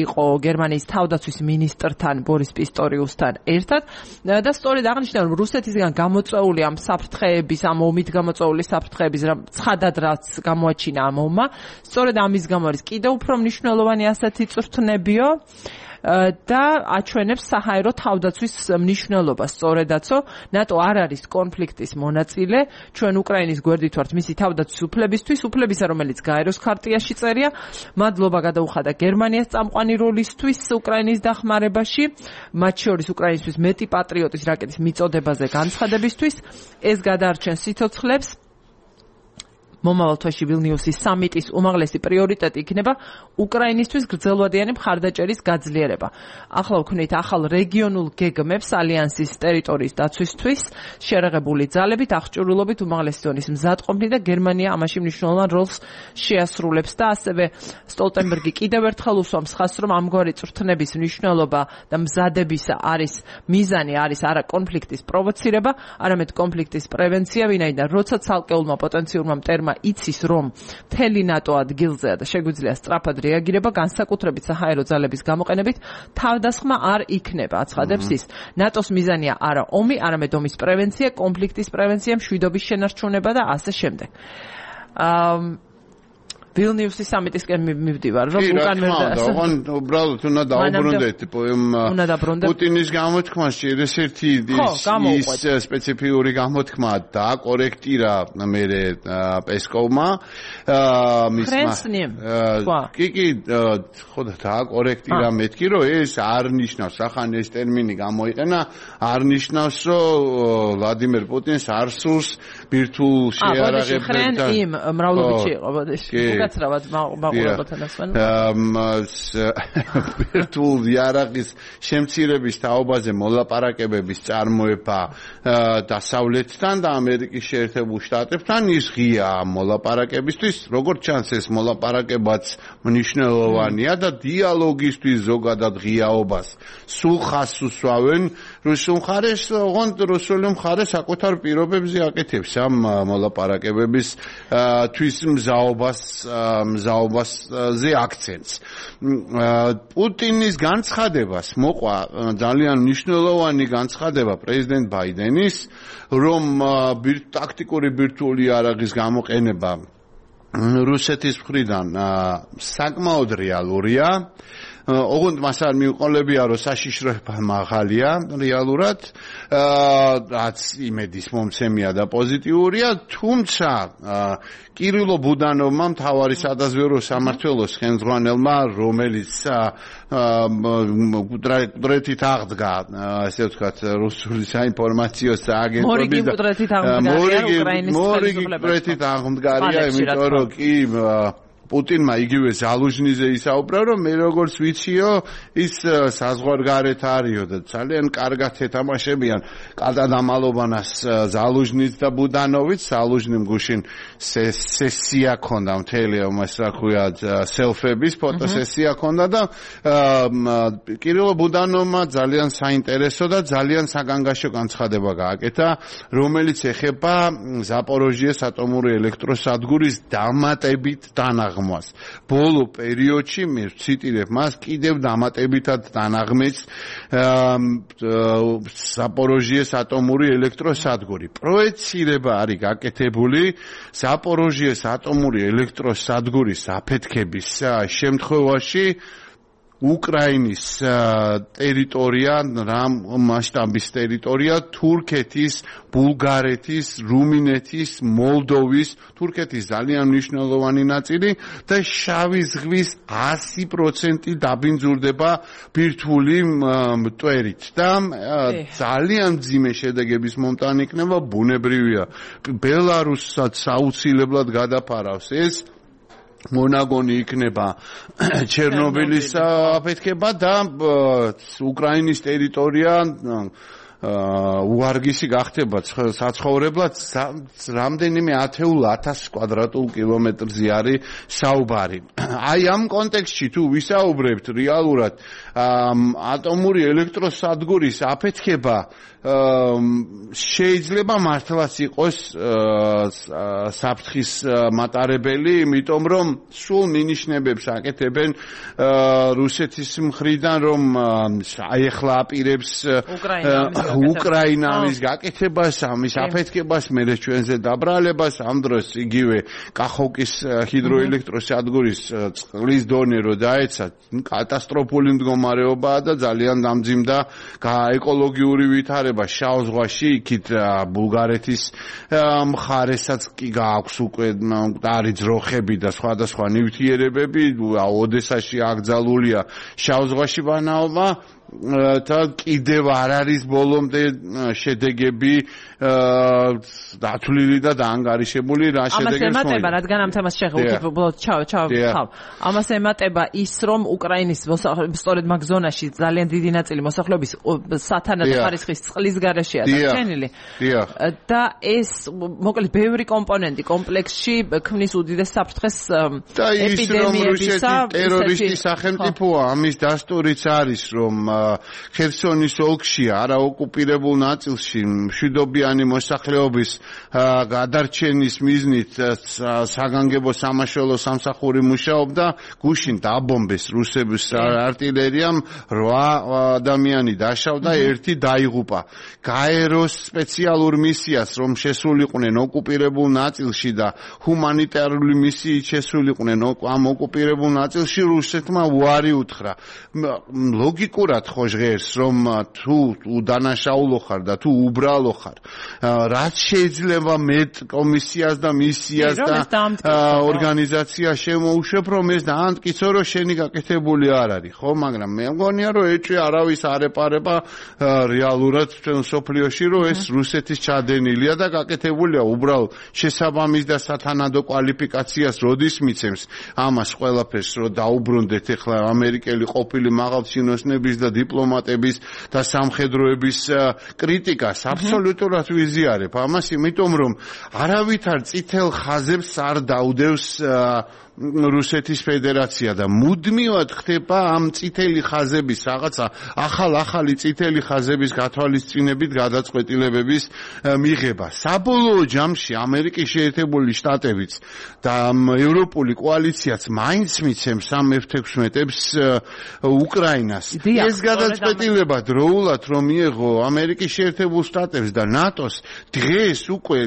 იყო გერმანიის თავდაცვის მინისტრთან ბორის პისტორიუსთან ერთად და სწორედ აღნიშნა, რომ რუსეთისგან გამოწვეული ამ საფრთხეების, ამ ომით გამოწვეული საფრთხეების ცხადად რაც გამოაჩინა ამ ომმა, სწორედ ამის გამო არის კიდევ უფრო მნიშვნელოვანი ასეთი წვრთნებიო და აჩვენებს საჰაერო თავდაცვის მნიშვნელობას. სწორედაცო, ნატო არ არის კონფლიქტის მონაწილე, ჩვენ უკრაინის გვერდით ვართ მისი თავდაცვის უფლებისთვის, უფლებისა, რომელიც გაეროს ქარტიაში წერია. მადლობა გადაუხადა გერმანიას წამყვანი როლისთვის უკრაინის დახმარებაში, მათ შორის უკრაინისთვის მეტი პატრიოტის რაკეტის მიწოდებაზე განცხადებისთვის. ეს გადაარჩენს სიცოცხლებს. მომავალ თვეში ვილნიუსის სამიტის უმაღლესი პრიორიტეტი იქნება უკრაინისთვის გრძელვადიანი მხარდაჭერის გაძლიერება. ახლა ვქნით ახალ რეგიონულ გეგმებს ალიანსის ტერიტორიის დაცვისთვის, შერეღებული ძალებით, აღჭურვილობით უმაღლესი ზონის მზადყოფნით და გერმანია ამაში მნიშვნელოვან როლს შეასრულებს და ასევე სტოლტენბერგი კიდევ ერთხელ უსვამს ხაზს, რომ ამგვარი წვრთნების მნიშვნელობა და მზადებისა არის მიზანი არის არა კონფლიქტის პროვოცირება, არამედ კონფლიქტის პრევენცია, ვინაიდან როცა ცალკეულმა პოტენციურმა მტერმა იცის, რომ მთელი ნატო ადგილზეა და შეგვიძლია სწრაფად რეაგირება, განსაკუთრებით საჰაერო ძალების გამოყენებით, თავდასხმა არ იქნება, აცხადებს ის. ნატოს მიზანია არა ომი, არამედ ომის პრევენცია, კონფლიქტის პრევენცია, მშვიდობის შენარჩუნება და ასე შემდეგ. ვილნიუსის სამიტისკენ მივდივარ, რომ უკან ოღონ უბრალოდ უნდა დაუბრუნდეთ პუტინის გამოთქმას, ერთ-ერთი ის სპეციფიური გამოთქმა დააკორექტირა მერე პესკოვმა კი, ხო და დააკორექტირა მეთქი, რომ ეს არ ნიშნავს, ახან ეს ტერმინი გამოიყენა, არ ნიშნავს, რომ ვლადიმერ პუტინს არ სურს ბირთვულ შეიარაღებებს იმ მრავლობითში იყო, ბოდიში. გაცრავად მაყურებელთან ასვენ. ბირთვულ იარაღის შემცირების თაობაზე მოლაპარაკებების წარმოება დასავლეთთან და ამერიკის შეერთებულ შტატებთან ის ღია მოლაპარაკებისთვის, როგორც ჩანს ეს მოლაპარაკებაც მნიშვნელოვანია და დიალოგისთვის ზოგადად ღიაობას სულ ხაზს უსვავენ რუსულ მხარეს, ოღონდ რუსული მხარე საკუთარ პირობებზე აკეთებს ამ მოლაპარაკებების თვის მზაობაზე აქცენტს. პუტინის განცხადებას მოყვა ძალიან მნიშვნელოვანი განცხადება პრეზიდენტ ბაიდენის, რომ ტაქტიკური ბირთვული იარაღის გამოყენება რუსეთის მხრიდან საკმაოდ რეალურია. ოღონდ მას არ მიუყოლებია, რომ საშიშროება მაღალია რეალურად, რაც იმედის მომცემია და პოზიტიურია, თუმცა კირილო ბუდანოვმა მთავარი სადაზვერვო სამმართველოს ხელმძღვანელმა, რომელიც კუდრეთით აღდგა, ასე ვთქვათ, რუსული საინფორმაციო აგენტობის მორიგი კუდრეთით აღდგარია, იმიტომ რომ კი პუტინმა იგივე ზალუჟნიზე ისაუბრა, რომ მე როგორც ვიციო, ის საზღვარგარეთ არისო და ძალიან კარგად ეთამაშებიან კადადამალობანას ზალუჟნიც და ბუდანოვიც. ზალუჟნიმ გუშინ სესია ქონდა, მთელი ამას რა ქვია, სელფების ფოტოსესია ქონდა და კირილო ბუდანოვმა ძალიან საინტერესო და ძალიან საგანგაშო განცხადება გააკეთა, რომელიც ეხება ზაპოროჟიეს ატომური ელექტროსადგურის დამატებით დანაღმას. ბოლო პერიოდში მე ვციტირებ მას, კიდევ დამატებითად დანაღმეს ზაპოროჟიეს ატომური ელექტროსადგური. პროექცირება არის გაკეთებული ზაპოროჟიეს ატომური ელექტროსადგურის აფეთქების შემთხვევაში უკრაინის ტერიტორია, რამ მასშტაბის ტერიტორია, თურქეთის, ბულგარეთის, რუმინეთის, მოლდოვის, თურქეთის ძალიან მნიშვნელოვანი ნაწილი და შავი ზღვის 100% დაბინძურდება ბირთვული მტვერით და ძალიან მძიმე შედეგების მომტანი იქნება, ბუნებრივია. ბელარუსსაც აუცილებლად გადაფარავს ეს მონაგონი იქნება ჩერნობილის აფეთქება და უკრაინის ტერიტორია უარგისი გახდება საცხოვრებლად რამდენიმე 10,000 კვადრატულ კილომეტრზე არის საუბარი. აი ამ კონტექსტში თუ ვისაუბრებთ რეალურად ატომური ელექტროსადგურის აფეთქება შეიძლება მართლაც იყოს საფრთხის მატარებელი, იმიტომ რომ სულ მინიშნებებს აკეთებენ რუსეთის მხრიდან, რომ აი ახლა აპირებს უკრაინა ამის გაკეთებას, ამის აფეთქებას, მერე ჩვენზე დაბრალებას, ამ დროს იგივე კახოვკის ჰიდროელექტროსადგურის წყლის დონე რო დაეცა, კატასტროფული მდგომარეობაა და ძალიან დამძიმდა ეკოლოგიური ვითარება შავ ზღვაში, იქით ბულგარეთის მხარესაც კი გააქვს უკვე მკვდარი ძროხები და სხვადასხვა ნივთიერებები, ოდესაში აკრძალულია შავ ზღვაში ბანაობა და კიდევ არ არის ბოლომდე შედეგები დათვლილი და დაანგარიშებული რა შედეგებს ამას ემატება, რადგან ამ თემას შეხებთ, ჩავ. ამას ემატება ის, რომ უკრაინის სწორედ მაგ ზონაში ძალიან დიდი ნაწილი მოსახლეობის სათანადო ხარისხის წყლის გარეშეა დარჩენილი. და ეს მოკლედ ბევრი კომპონენტი კომპლექსში ქმნის უდიდეს საფრთხეს ეპიდემიებისა. ტერორისტი სახელმწიფოა, ამის დასტურიც არის, რომ ხერსონის ოლქში არაოკუპირებულ ნაწილში მშვიდობიანი მოსახლეობის გადარჩენის მიზნით საგანგებო სამაშველო სამსახური მუშაობდა, გუშინ დააბომბეს რუსების артиლერიამ 8 ადამიანი დაშავდა, 1 დაიღუპა. გაეროს სპეციალურ მისიას რომ შესულიყვნენ ოკუპირებულ ნაწილში და ჰუმანიტარული მისიით შესულიყვნენ ამ ოკუპირებულ ნაწილში, რუსეთმა უარი უთხრა. ლოგიკურად ხო ჟღერს, რომ თუ უდანაშაულო ხარ და თუ უბრალო ხარ, რაც შეიძლება მეტ კომისიას და მისიას და ორგანიზაციას შემოუშვებ, რომ ეს დაამტკიცო, რომ შენი გაკეთებული არ არის, ხო? მაგრამ მე მგონია, რომ ეჭვი არავის არ ეპარება რეალურად ჩვენ სოფლიოში, რომ ეს რუსეთის ჩადენილია და გაკეთებულია უბრალოდ შესაბამის და სათანადო კვალიფიკაციას როდის მიცემს ამას ყველაფერს, რომ დაუბრუნდეთ ახლა ამერიკელი ყოფილი მაღალჩინოსნების და დიპლომატების და სამხედროების კრიტიკას აბსოლუტურად ვიზიარებ ამას, იმიტომ რომ არავითარ წითელ ხაზებს არ დაუდევს რუსეთის ფედერაცია და მუდმივად ხდება ამ წითელი ხაზების რაღაცა ახალი წითელი ხაზების გათვალისწინებით გადაწყვეტილებების მიღება. საბოლოო ჯამში ამერიკის შეერთებული შტატებიც და ევროპული კოალიციაც მაინც მიცემს ამ F-16-ებს უკრაინას. ეს გადაწყვეტილება დროულად რომ მიიღო ამერიკის შეერთებულ შტატებს და ნატოს, დღეს უკვე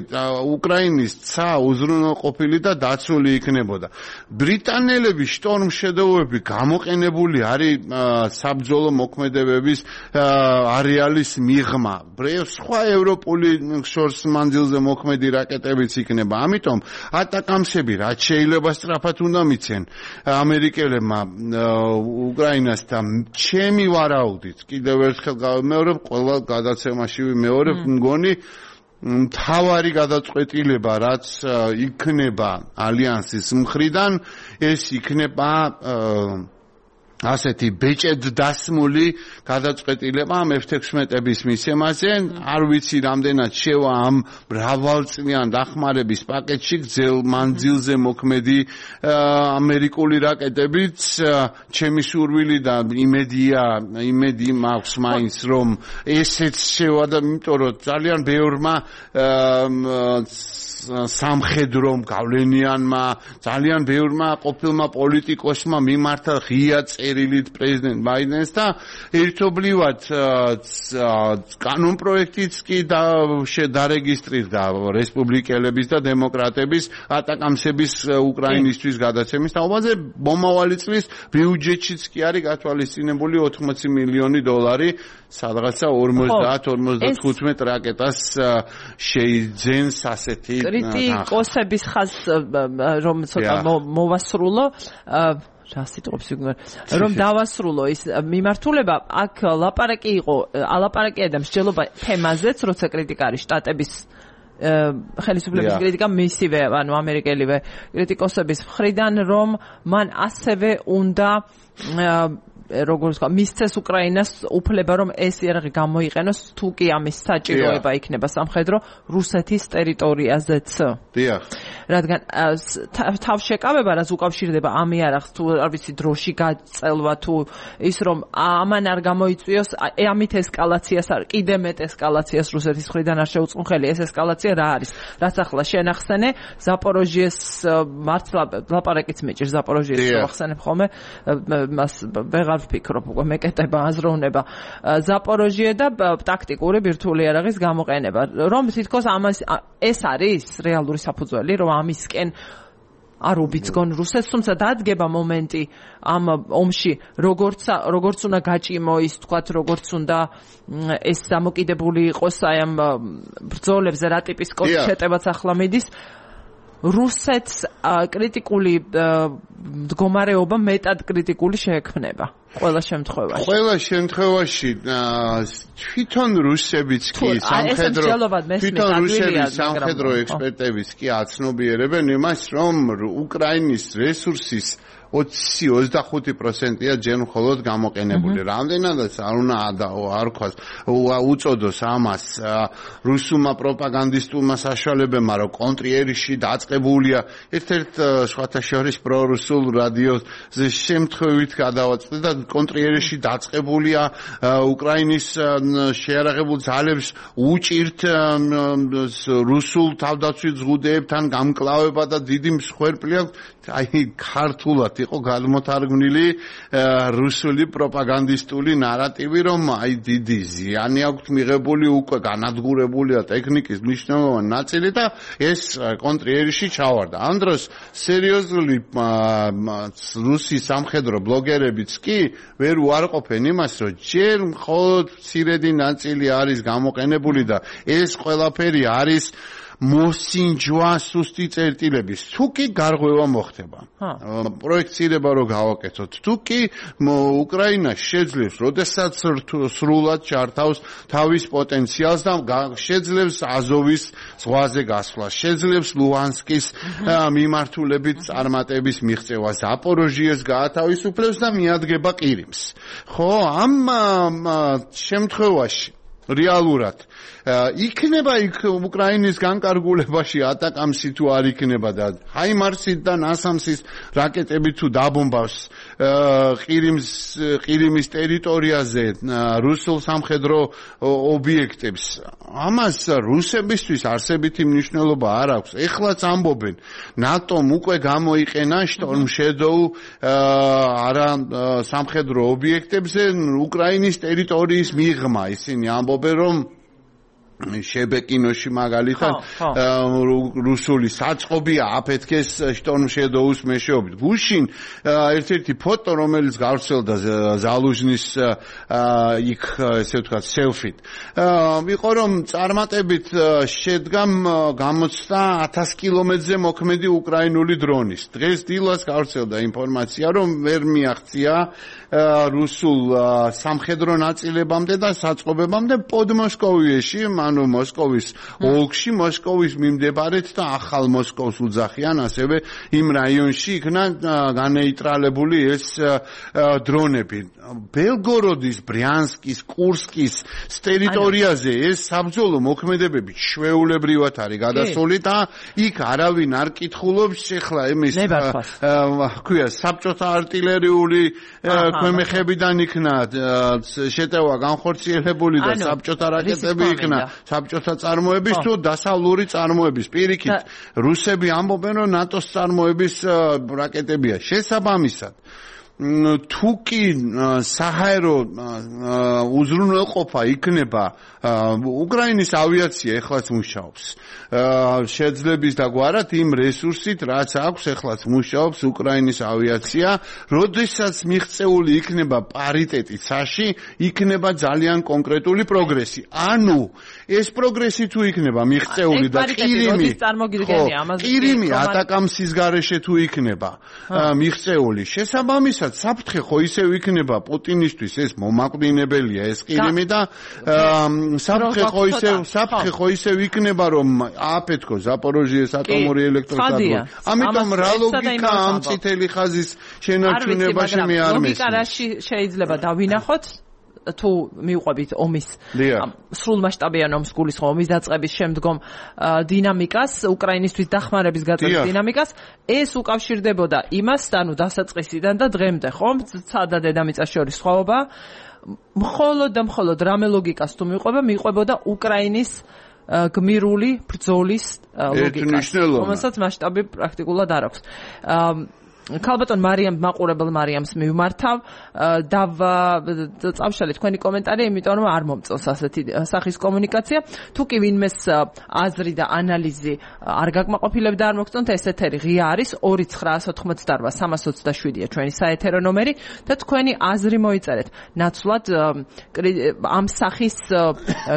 უკრაინის ცა უზრუნველყოფილი და დაცული იქნებოდა. ბრიტანელების შტორმშედევრები გამოყენებული არის საბრძოლო მოქმედებების არეალის მიღმა. სხვა ევროპული შორს მანძილზე მოქმედი რაკეტებიც იქნება. ამიტომ ატაკამსები რაც შეიძლება სწრაფად უნდა მიცენ ამერიკელებმა უკრაინას და ჩემი ვარაუდით კიდევ ერთხელ გავიმეორებ, ყველა გადაცემაში ვიმეორებ, მგონი მთავარი გადაწყვეტილება რაც იქნება ალიანსის მხრიდან, ეს იქნება ასეთი ბეჭედ დასმული გადაწყვეტილება ამ F-16-ების მისცემაზე. არ ვიცი რამდენად შევა ამ მრავალწლიან დახმარების პაკეტში გრძელ მანძილზე მოქმედი ამერიკული რაკეტებიც. ჩემი სურვილი და იმედი მაქვს მაინც, რომ ესეც შევა და იმიტომ რომ ძალიან ბევრმა სამხედრომ გავლენიანმა, ძალიან ბევრმა ყოფილმა პოლიტიკოსმა მიმართა ღია წერილით პრეზიდენტ ბაიდენს და ერთობლივად კანონპროექტიც კი დარეგისტრირდა რესპუბლიკელების და დემოკრატების ატაკამსების უკრაინისთვის გადაცემის თაობაზე. მომავალი წლის ბიუჯეტშიც კი არის გათვალისწინებული 80 მილიონი დოლარი, სადღაცა 50-55 რაკეტას შეიძენს ასეთი კრიტიკოსების ხაზს რომ ცოტა მოვასრულო, რა სიტყვებს ვიგნორ, რომ დავასრულო ის მიმართულება, აქ ლაპარაკი იყო, ალაპარაკია და მსჯელობა თემაზეც, როცა კრიტიკა არის შტატების ხელისუფლების კრიტიკა მისივე, ანუ ამერიკელივე კრიტიკოსების მხრიდან, რომ მან ასევე უნდა როგორც მისცეს უკრაინას უფლება, რომ ეს იარაღი გამოიყენოს, თუ კი ამის საჭიროება იქნება სამხედრო რუსეთის ტერიტორიაზეც. დიახ. რადგან თავშეკავება, რაც უკავშირდება ამ იარაღს, თუ არ ვიცი დროში გაწელვა, თუ ის რომ ამან არ გამოიწვიოს, ამით ესკალაციას არ, კიდე მეტ ესკალაციას რუსეთის მხრიდან არ შეუწყმხელი. ეს ესკალაცია რა არის? რაც ახლა შენახსენე, ზაპოროჟიეს მართლა ლაპარაკიც მეჭირს ზაპოროჟიეს შევახსენებ ხოლმე, მას ვეღარ ვფიქრობ, უკვე მეკეტება, აზროვნება. ზაპოროჟიე და ტაქტიკური ბირთვული იარაღის გამოყენება. რომ თითქოს ეს არის რეალური საფუძველი, რომ ამისკენ არ უბიძგონ რუსეთს, თუმცა დადგება მომენტი ამ ომში, როგორც უნდა გაჭიმო ის, თქვათ, როგორც უნდა ეს დამოკიდებული იყოს აი ამ ბრძოლებზე, რა ტიპის შეტევაც ახლა მიდის. რუსეთს კრიტიკული მდგომარეობა მეტად კრიტიკული შეექმნება ყველა შემთხვევაში თვითონ რუსებიც კი სამხედრო ექსპერტებიც კი აცნობიერებენ იმას, რომ უკრაინის რესურსის 20-25%-ია ჯერ მხოლოდ გამოყენებული. რამდენადაც არ უნდა არქვას უწოდოს ამას რუსულმა პროპაგანდისტულმა საშუალებებმა, რომ კონტრიერიში დაწყებულია ერთ-ერთ სხვათა შორის პრორუსულ რადიოზე შემთხვევით გადავაწყვეტ და კონტრიერიში დაწყებულია უკრაინის შეიარაღებულ ძალებს უჭირთ რუსულ თავდაცვით ზღუდეებთან გამკლავება და დიდი მსხვერპლი აქვს. აი ქართულად იყო გადმოთარგმნილი რუსული პროპაგანდისტული ნარატივი, რომ აი დიდი ზიანი აქვს მიღებული, უკვე განადგურებულია ტექნიკის მნიშვნელოვანი ნაწილი და ეს კონტრიერიში ჩავარდა. ამ დროს სერიოზული რუსი სამხედრო ბლოგერებიც კი ვერ უარყოფენ იმას, რომ ჯერ მხოლოდ მცირედი ნაწილი არის გამოყენებული და ეს ყველაფერი არის მოსინჯვა სუსტი წერტილების. თუ კი გარღვევა მოხდება, პროექცირება რო გავაკეთოთ, თუ კი უკრაინა შეძლებს, როდესაც სრულად ჩართავს თავის პოტენციალს და შეძლებს აზოვის ზღვაზე გასვლა, შეძლებს ლუანსკის მიმართულებით წარმატების მიღწევა, ზაპოროჟიეს გაათავისუფლებს და მიადგება ყირიმს. ხო, ამ შემთხვევაში რეალურად იქნება იქ უკრაინის განკარგულებაში ატაკამსი თუ არ იქნება და ჰაიმარსით და ნასამსის რაკეტები თუ დაბომბავს ყირიმის ტერიტორიაზე რუსულ სამხედრო ობიექტებს, ამას რუსებისთვის არსებითი მნიშვნელობა არ აქვს. ეხლაც ამბობენ, ნატომ უკვე გამოიყენა Storm Shadow არა სამხედრო ობიექტებზე უკრაინის ტერიტორიის მიღმა. ისინი ამბობენ, რომ შებეკინოში მაგალითად რუსული საწყობია აფეთქეს Storm Shadow-ს მეშვეობით. გუშინ ერთ-ერთი ფოტო, რომელიც გავრცელდა ზალუჟნის იქ ესე ვთქვათ სელფით, იყო რომ წარმატებით შედგა გამოცდა 1000 კილომეტრზე მოქმედი უკრაინული დრონის. დღეს დილას გავრცელდა ინფორმაცია, რომ ვერ მიაღწია რუსულ სამხედრო ნაწილებამდე და საწყობებამდე პოდმოსკოვიაში, ანუ მოსკოვის ოლქში, მოსკოვის მიმდებარედ და ახალ მოსკოვს უძახიან, ასევე იმ რაიონში იქნა განეიტრალებული ეს დრონები. ბელგოროდის, ბრიანსკის, კურსკის ტერიტორიაზე ეს საბრძოლო მოქმედებები ჩვეულებრივად არის გადასული და იქ არავინ არ კითხულობს ახლა იმის ქვია საბჭოთა არტილერიული ქვემეხებიდან იქნა შეტევა განხორციელებული და საბჭოთა რაკეტები იქნა საბჭოთა წარმოების თუ დასავლური წარმოების. პირიქით რუსები ამბობენ, რომ ნატოს წარმოების რაკეტებია. შესაბამისად თუ კი საჰაერო უზრუნველყოფა იქნება, უკრაინის ავიაცია ეხლაც მუშაობს შეძლების და გვარად იმ რესურსით, რაც აქვს ეხლაც მუშაობს უკრაინის ავიაცია. როდესაც მიღწეული იქნება პარიტეტი ცაში, იქნება ძალიან კონკრეტული პროგრესი. ანუ ეს პროგრესი თუ იქნება მიღწეული და ყირიმი ატაკამსის გარეშე თუ იქნება მიღწეული, შესაბამისად როდესაც საფრთხე ხო ისევ იქნება პუტინისთვის ეს მომაკვდინებელია ეს ყირიმი და საფრთხე ხო ისევ იქნება რომ ააფეთქო ზაპოროჟიეს ატომური ელექტროსადგური. ამიტომ რა ლოგიკა ამ წითელი ხაზის შენარჩუნებაში მე არ მესმის. ლოგიკა რაში შეიძლება დავინახოთ თუ მივყვებით ომის სრულმასშტაბიან ომს გულისხმობ ომის დაწყების შემდგომ დინამიკას, უკრაინისთვის დახმარების გაწევის დინამიკას, ეს უკავშირდებოდა იმასთან, დასაწყისიდან და დღემდე, ხო? ცა და დედამიწას შორის სხვაობა. მხოლოდ რამე ლოგიკას თუ მიყვებოდა უკრაინის გმირული ბრძოლის ლოგიკას, რომელსაც მასშტაბი პრაქტიკულად არ აქვს. ქალბატონ მაყურებელ მარიამს მივმართავ და წავშალე თქვენი კომენტარი, იმიტომ რომ არ მომწონს ასეთი სახის კომუნიკაცია. თუ კი ვინმეს აზრი და ანალიზი არ გაკმაყოფილებდა, არ მოგწონთ, ეს ეთერი ღია არის 2988327-ია ჩვენი საეთერო ნომერი და თქვენი აზრი მოიწერეთ. ნაცვლად ამ სახის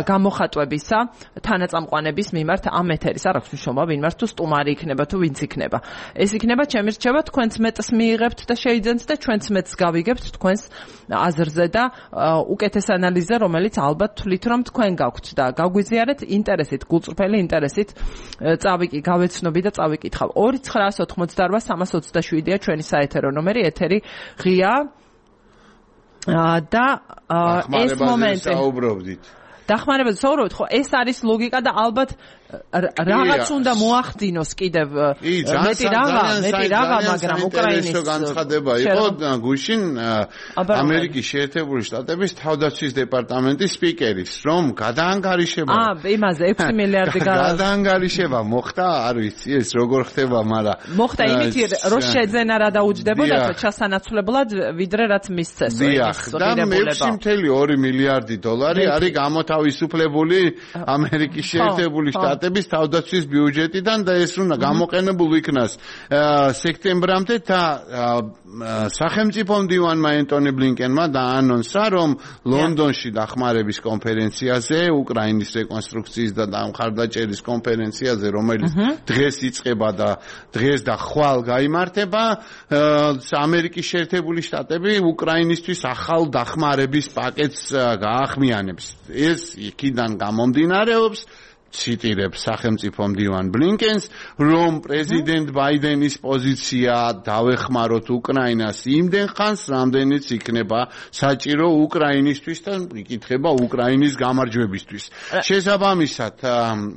გამოხატვებისა, თანაწამყვანების მიმართ ამ ეთერის არ აქვს მნიშვნელობა, ვინ მართ თუ სტუმარი იქნება თუ ვინც იქნება. ეს იქნება ჩემი რჩევა, თქვენც მეტს მიიღებთ და შეიძენთ და ჩვენც მეტს გავიგებთ თქვენს აზრზე და უკეთეს ანალიზზე, რომელიც ალბათ თვლით რომ თქვენ გაქვთ და გაგვიზიარეთ ინტერესით, გულწრფელი ინტერესით გავეცნობი და წავიკითხავ. 2988327-ია ჩვენი საეთერო ნომერი, ეთერი ღია და ეს მომენტი დახმარებაზე საუბრობთ, ხო, ეს არის ლოგიკა და ალბათ რაღაც უნდა მოახდინოს კიდევ მეტი რაღა, მაგრამ უკრაინის განცხადება იყო გუშინ ამერიკის შეერთებული შტატების თავდაცვის დეპარტამენტის სპიკერის, რომ გადაანგარიშება იმაზე 6 მილიარდი გადაანგარიშება მოხდა, არ ვიცი ეს როგორ ხდება, მაგრამ მოხდა იმით, რომ შეძენა რა დაუჯდებოდა ჩასანაცვლებლად, ვიდრე რაც მისცეს. და 6.2 მილიარდი დოლარი არის გამოთავისუფლებული ამერიკის შეერთებული შტატების თავდაცვის ბიუჯეტიდან და ეს უნდა გამოყენებულ იქნას სექტემბრამდე და სახელმწიფო მდივანმა ენტონი ბლინკენმა დაანონსა, რომ ლონდონში დახმარების კონფერენციაზე, უკრაინის რეკონსტრუქციის და მხარდაჭერის კონფერენციაზე, რომელიც დღეს იწყება და დღეს და ხვალ გაიმართება, ამერიკის შეერთებული შტატები უკრაინისთვის ახალ დახმარების პაკეტს გაახმიანებს. ეს იქიდან გამომდინარეობს, ციტირებს სახელმწიფო მდივან ბლინკენს, რომ პრეზიდენტ ბაიდენის პოზიცია დავეხმაროთ უკრაინას იმდენ ხანს, რამდენიც იქნება საჭირო უკრაინისთვის და იკითხება უკრაინის გამარჯვებისთვის. შესაბამისად,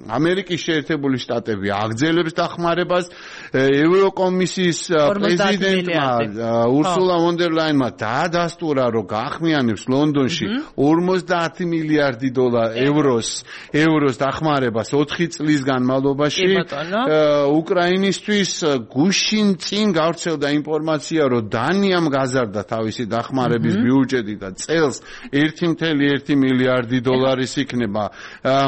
ამერიკის შეერთებული შტატები აგრძელებს დახმარებას, ევროკომისიის პრეზიდენტმა ურსულა ფონ დერ ლაინმა დაადასტურა, რომ გაახმიანებს ლონდონში 50 მილიარდი ევროს დახმარებას 4 წლის განმავლობაში უკრაინისთვის. გუშინ წინ გავრცელდა ინფორმაცია, რომ დანიამ გაზარდა თავისი დახმარების ბიუჯეტი და წელს 1.1 მილიარდი დოლარის იქნება,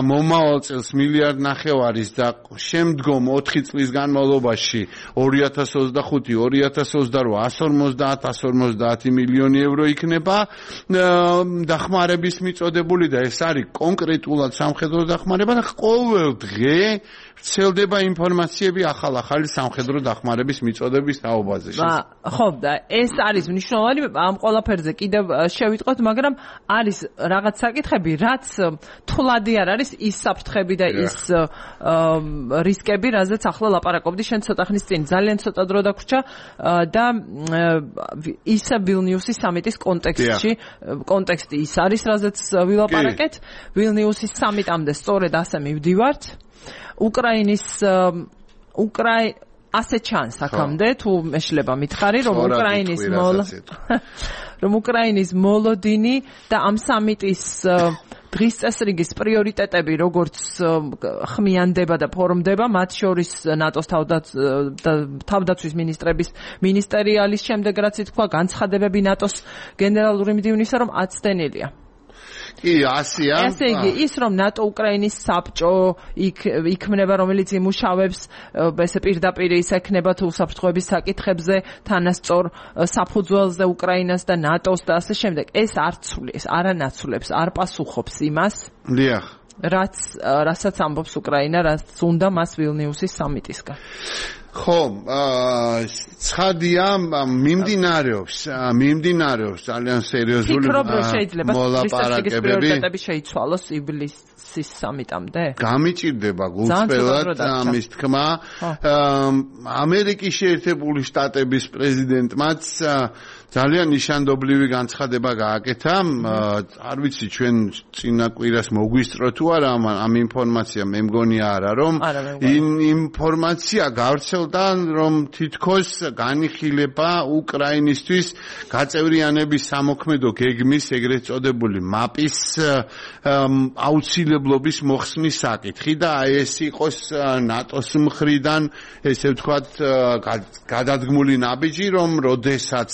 მომავალ წელს 1.5 მილიარდის და შემდგომ 4 წლის განმავლობაში 2025-2028 150 მილიონი ევრო იქნება დახმარების მიწოდებული და ეს არის კონკრეტულად სამხედრო დახმარება და ყოველ დღე ვრცელდება ინფორმაციები ახალი სამხედრო დახმარების მიწოდების თაობაზე. ხო, და ეს არის მნიშვნელოვანი, ამ ყველაფერზე კიდევ შევიტყოთ, მაგრამ არის რაღაც საკითხები, რაც თვლადი არ არის ის საფრთხები და ის რისკები, რაზეც ახლა ლაპარაკობდი შენ ცოტა ხნის წინ. ძალიან ცოტა დრო დაგვრჩა და ისა ვილნიუსის სამიტის კონტექსტი ის არის, რაზეც ვილაპარაკეთ. ვილნიუსის სამიტამდე სწორედ ასე მივდივართ. ასე ჩანს აქამდე, თუ მეშლება მითხარი, რომ უკრაინის მოლოდინი და ამ სამიტის დღის წესრიგის პრიორიტეტები, როგორც ხმიანდება და ფორმდება, მათ შორის ნატოს თავდაცვის მინისტერიალის შემდეგ, რაც ითქვა, განცხადებები ნატოს გენერალური მდივნისა, რომ აცდენილია. ესე იგი, ის რომ ნატო უკრაინის საბჭო იქმნება, რომელიც იმუშავებს, ესე პირდაპირ ის ექნება თუ საფრთხეების საკითხებზე, თანასწორ საფუძველზე უკრაინას და ნატოს და ასე შემდეგ. ეს არ ცვლის, არ ანაცვლებს, არ პასუხობს იმას. რასაც ამბობს უკრაინა, რაც უნდა მას ვილნიუსის სამიტისგან. ხო, ცხადია, მიმდინარეობს ძალიან სერიოზული ფიქრობ, რომ შეიძლება მოლაპარაკებები პრიორიტეტები შეიცვალოს ივლისის სამიტამდე? გამიჭირდება გულწრფელად ამის თქმა. ამერიკის შეერთებული შტატების პრეზიდენტმაც ძალიან ნიშანდობლივი განცხადება გააკეთა. არ ვიცი ჩვენ წინა კვირას მოგვისწრო თუ არა ამ ინფორმაცია, მე მგონია არა, რომ ინფორმაცია გავრცელდა, რომ თითქოს განიხილება უკრაინისთვის გაწევრიანების სამოქმედო გეგმის ეგრეთ წოდებული მაპის აუცილებლობის მოხსნის საკითხი და აი ეს იყოს ნატოს მხრიდან ესე ვთქვათ გადადგმული ნაბიჯი, რომ როდესაც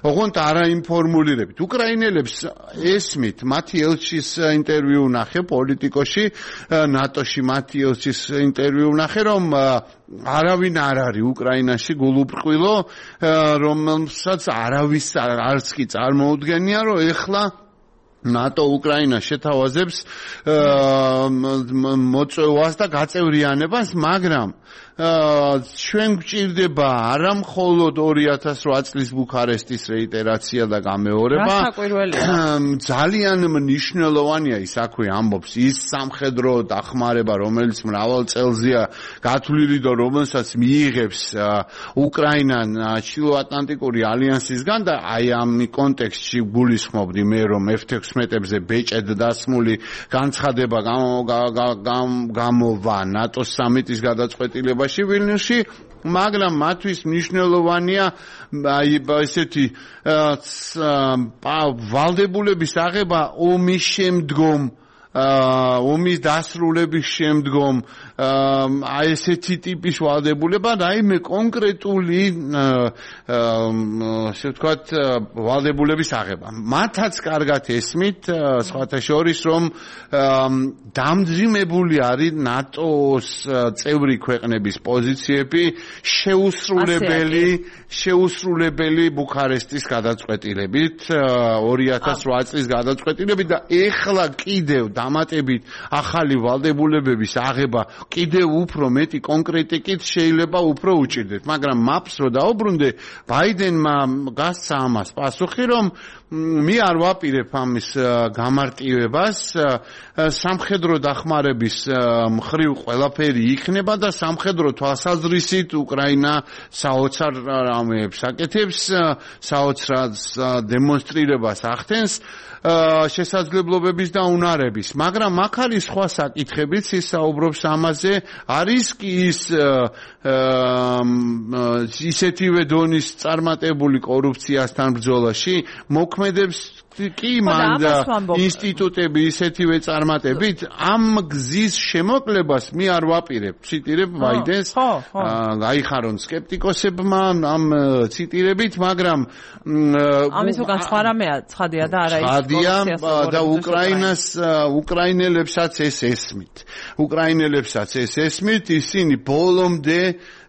ოღონდ არაინფორმულირებით უკრაინელებს ესმით მათი ელჩის ინტერვიუ ნახე პოლიტიკოში ნატოში მათი ელჩის ინტერვიუ ნახე რომ არავინ არ არის უკრაინაში გულუბრყვილო რომელსაც არავის არც კი წარმოუდგენია რომ ეხლა ნატო უკრაინას შეთავაზებს მოწვევას და გაწევრიანებას მაგრამ ჩვენ გვჭირდება არა მხოლოდ 2008 წლის ბუქარესტის რეიტერაცია და გამეორება ძალიან მნიშვნელოვანია ის აქვე ამბობს ის სამხედრო დახმარება რომელიც მრავალ წელზეა გათვლილი და რომელსაც მიიღებს უკრაინა ჩრდილოატლანტიკური ალიანსისგან და აი ამ კონტექსტში გულისხმობდი მე რომ F-16-ებზე ბეჭედ დასმული განცხადება გამოვა ნატოს სამიტის გადაწყვეტილებაში ვილნიუსში მაგრამ მათთვის მნიშვნელოვანია აი ესეთი ვალდებულების აღება ომის შემდგომ ომის დასრულების შემდგომ აი ესეთი ტიპის ვალდებულება რაიმე კონკრეტული ასე ვთქვათ ვალდებულების აღება მათაც კარგად ესმით სხვათა შორის რომ დამძიმებული არის ნატოს წევრი ქვეყნების პოზიციები შეუსრულებელი ბუქარესტის გადაწყვეტილებით 2008 წლის გადაწყვეტილებით და ეხლა კიდევ დამატებით ახალი ვალდებულებების აღება კიდევ უფრო მეტი კონკრეტიკით შეიძლება უფრო უჭირდეთ მაგრამ მაპს რო დაუბრუნდე ბაიდენმა გასცა ამას პასუხი რომ მე არ ვაპირებ ამის გამარტივებას სამხედრო დახმარების მხრივ ყველაფერი იქნება და სამხედრო თვალსაზრისით უკრაინა საოცარ რამეებს აკეთებს საოცრად დემონსტრირებას ახდენს შესაძლებლობების და უნარების მაგრამ აქ არის სხვა საკითხებიც ის საუბრობს ამაზე არის კი ისეთივე დონის წარმატებული კორუფციასთან ბრძოლაში მოქმედებს კი მანდა ინსტიტუტები ისეთივე წარმატებით ამ გზის შემოკლებას მე არ ვაპირებ ციტირებ ბაიდენს გაიხარონ სკეპტიკოსებმა ამ ციტირებით მაგრამ ამის უკან სხვა რამეა ცხადია და არა ის და უკრაინელებსაც ეს ესმით ისინი ბოლომდე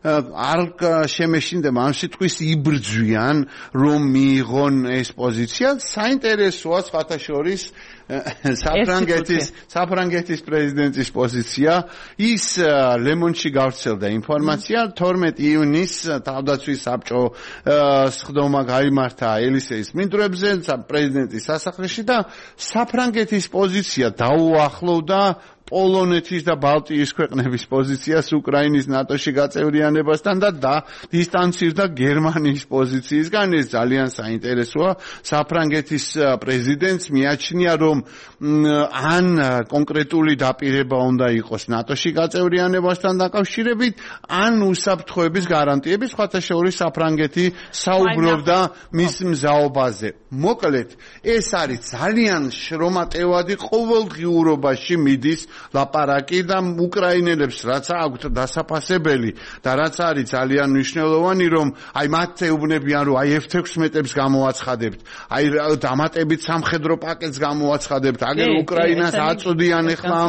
არ შემეშინდება ამ სიტყვის იბრძვიან რომ მიიღონ ეს პოზიცია საინტერესოა სხვათა შორის საფრანგეთის პრეზიდენტის პოზიცია ის ლემონში გავრცელდა ინფორმაცია 12 იუნის თავდაცვის საბჭო სხდომა გაიმართა ელისეის მინდვრებზე პრეზიდენტის სასახლეში და საფრანგეთის პოზიცია დაუახლოვდა პოლონეთის და ბალტიის ქვეყნების პოზიციას უკრაინის ნატოში გაწევრიანებასთან და დისტანცირდა გერმანიის პოზიციისგან ეს ძალიან საინტერესოა საფრანგეთის პრეზიდენტს მიაჩნია რომ ან კონკრეტული დაპირება უნდა იყოს ნატოში გაწევრიანებასთან დაკავშირებით ან უსაფრთხოების გარანტიების სხვათა შორის საფრანგეთი საუბრობდა მის მზაობაზე მოკლედ ეს არის ძალიან შრომატევადი ყოველდღიურობაში მიდის ლაპარაკი და უკრაინელებს რაც აქვთ დასაფასებელი და რაც არის ძალიან მნიშვნელოვანი რომ აი მათ ეუბნებიან რომ აი F-16-ებს გამოაცხადებთ აი დამატებით სამხედრო პაკეტს გამოაცხადებთ აგერ უკრაინას აწვდიან ახლა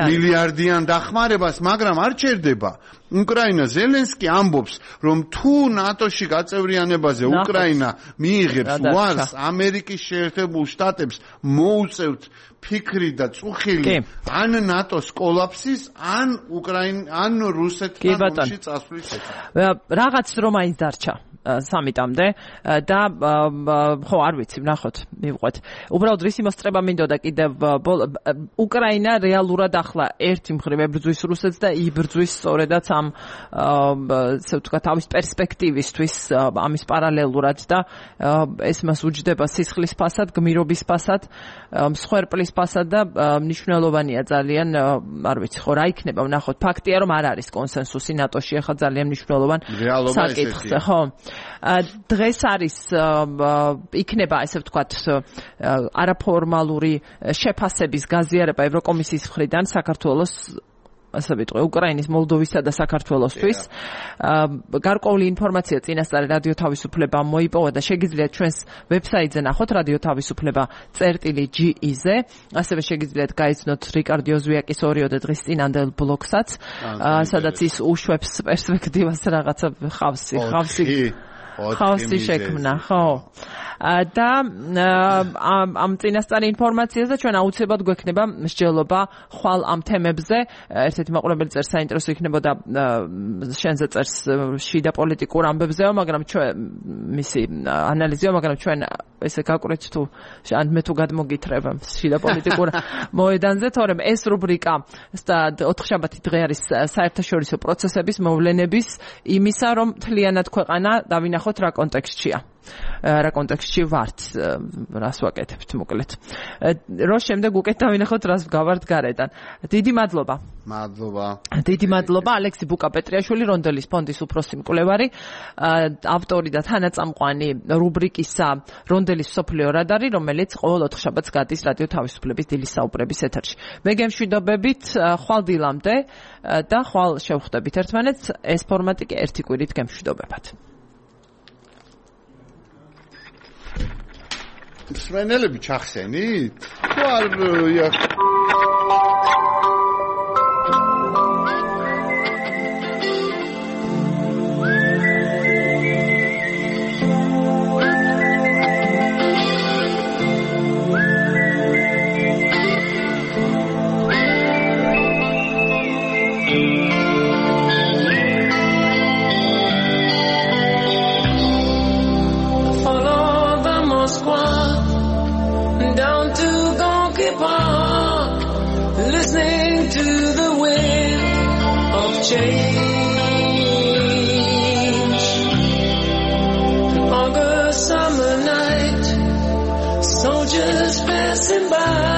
მილიარდიან დახმარებას მაგრამ არ ჩერდება უკრაინა ზელენსკი ამბობს რომ თუ ნატოში გაწევრიანებაზე უკრაინა მიიღებს უარს ამერიკის შეერთებულ შტატებს მოუწევთ ფიქრი და წუხილი ან ნატოს კოლაფსის ან რუსეთთან ომში წასვლის შესახებ. რაღაც რომ აინც დარჩა სამიტამდე და ხო არ ვიცი ვნახოთ მივყვეთ. უბრალოდ რისი მოსწრება მინდოდა კიდევ უკრაინა რეალურად ახლა ერთი მხრივ ებრძვის რუსეთს და იბრძვის სწორედაც ამ ესე ვთქვა თავის პერსპექტივისთვის ამის პარალელურად და ეს მას უჯდება სისხლის ფასად, გმირობის ფასად, მსხვერპლის ფასად და მნიშვნელოვანია ძალიან არ ვიცი ხო რა იქნება ვნახოთ. ფაქტია რომ არ არის კონსენსუსი ნატოში ახლა ძალიან მნიშვნელოვან საკითხზე ხო. დღეს არის იქნება ესე ვთქვათ არაფორმალური შეფასების გაზიარება ევროკომისიის მხრიდან საქართველოს ასე ვიტყვი უკრაინის, მოლდოვისა და საქართველოსთვის. გარკვეული ინფორმაცია წინასწარ რადიო თავისუფლებამ მოიპოვა და შეგიძლიათ ჩვენს ვებსაიტზე ნახოთ რადიო თავისუფლება.ge-ზე. ასევე შეგიძლიათ გაიცნოთ რიკარდ იოზვიაკის 2 დღის წინანდელ ბლოგსაც, სადაც ის უშვებს პერსპექტივას რაღაცა ხავსი შექმნა, ხო. და ამ წინასწარი ინფორმაციას და ჩვენ აუცილებლად გვექნება მსჯელობა ხვალ ამ თემებზე. ერთ-ერთი მაყურებელი წერს საინტერესო იქნებოდა შენზე წერს შიდა პოლიტიკურ ამბებზეო, მაგრამ ჩვენ მისი ანალიზიო, მაგრამ ჩვენ ესე გაკვირვეთ თუ ან მე თუ გადმოგითხრება შიდა პოლიტიკურ მოედანზე, თორემ ეს რუბრიკა და 4 შაბათი დღე არის საერთაშორისო პროცესების მოვლენების იმისა, რომ მთლიანად ქვეყანა დავინახოთ რა კონტექსტშია. რა კონტექსტში ვართ, რას ვაკეთებთ მოკლედ. რო შემდეგ უკეთ დავინახოთ რას გავართ გარედან. დიდი მადლობა. დიდი მადლობა ალექსი ბუკა-პეტრიაშვილი, რონდელის ფონდის უფროსი მკვლევარი, ავტორი და თანაწამყვანი რუბრიკისა რონდელის მსოფლიო რადარი, რომელიც ყოველ 4 შაბათს გადის რადიო თავისუფლების დილის საუბრების ეთერში. მე გემშვიდობებით ხვალ დილამდე და ხვალ შევხვდებით ერთმანეთს. ეს ფორმატი კი ერთი კვირით გემშვიდობებათ. მსმენელები ჩახსენით? თუ არ change. August summer night, soldiers passing by.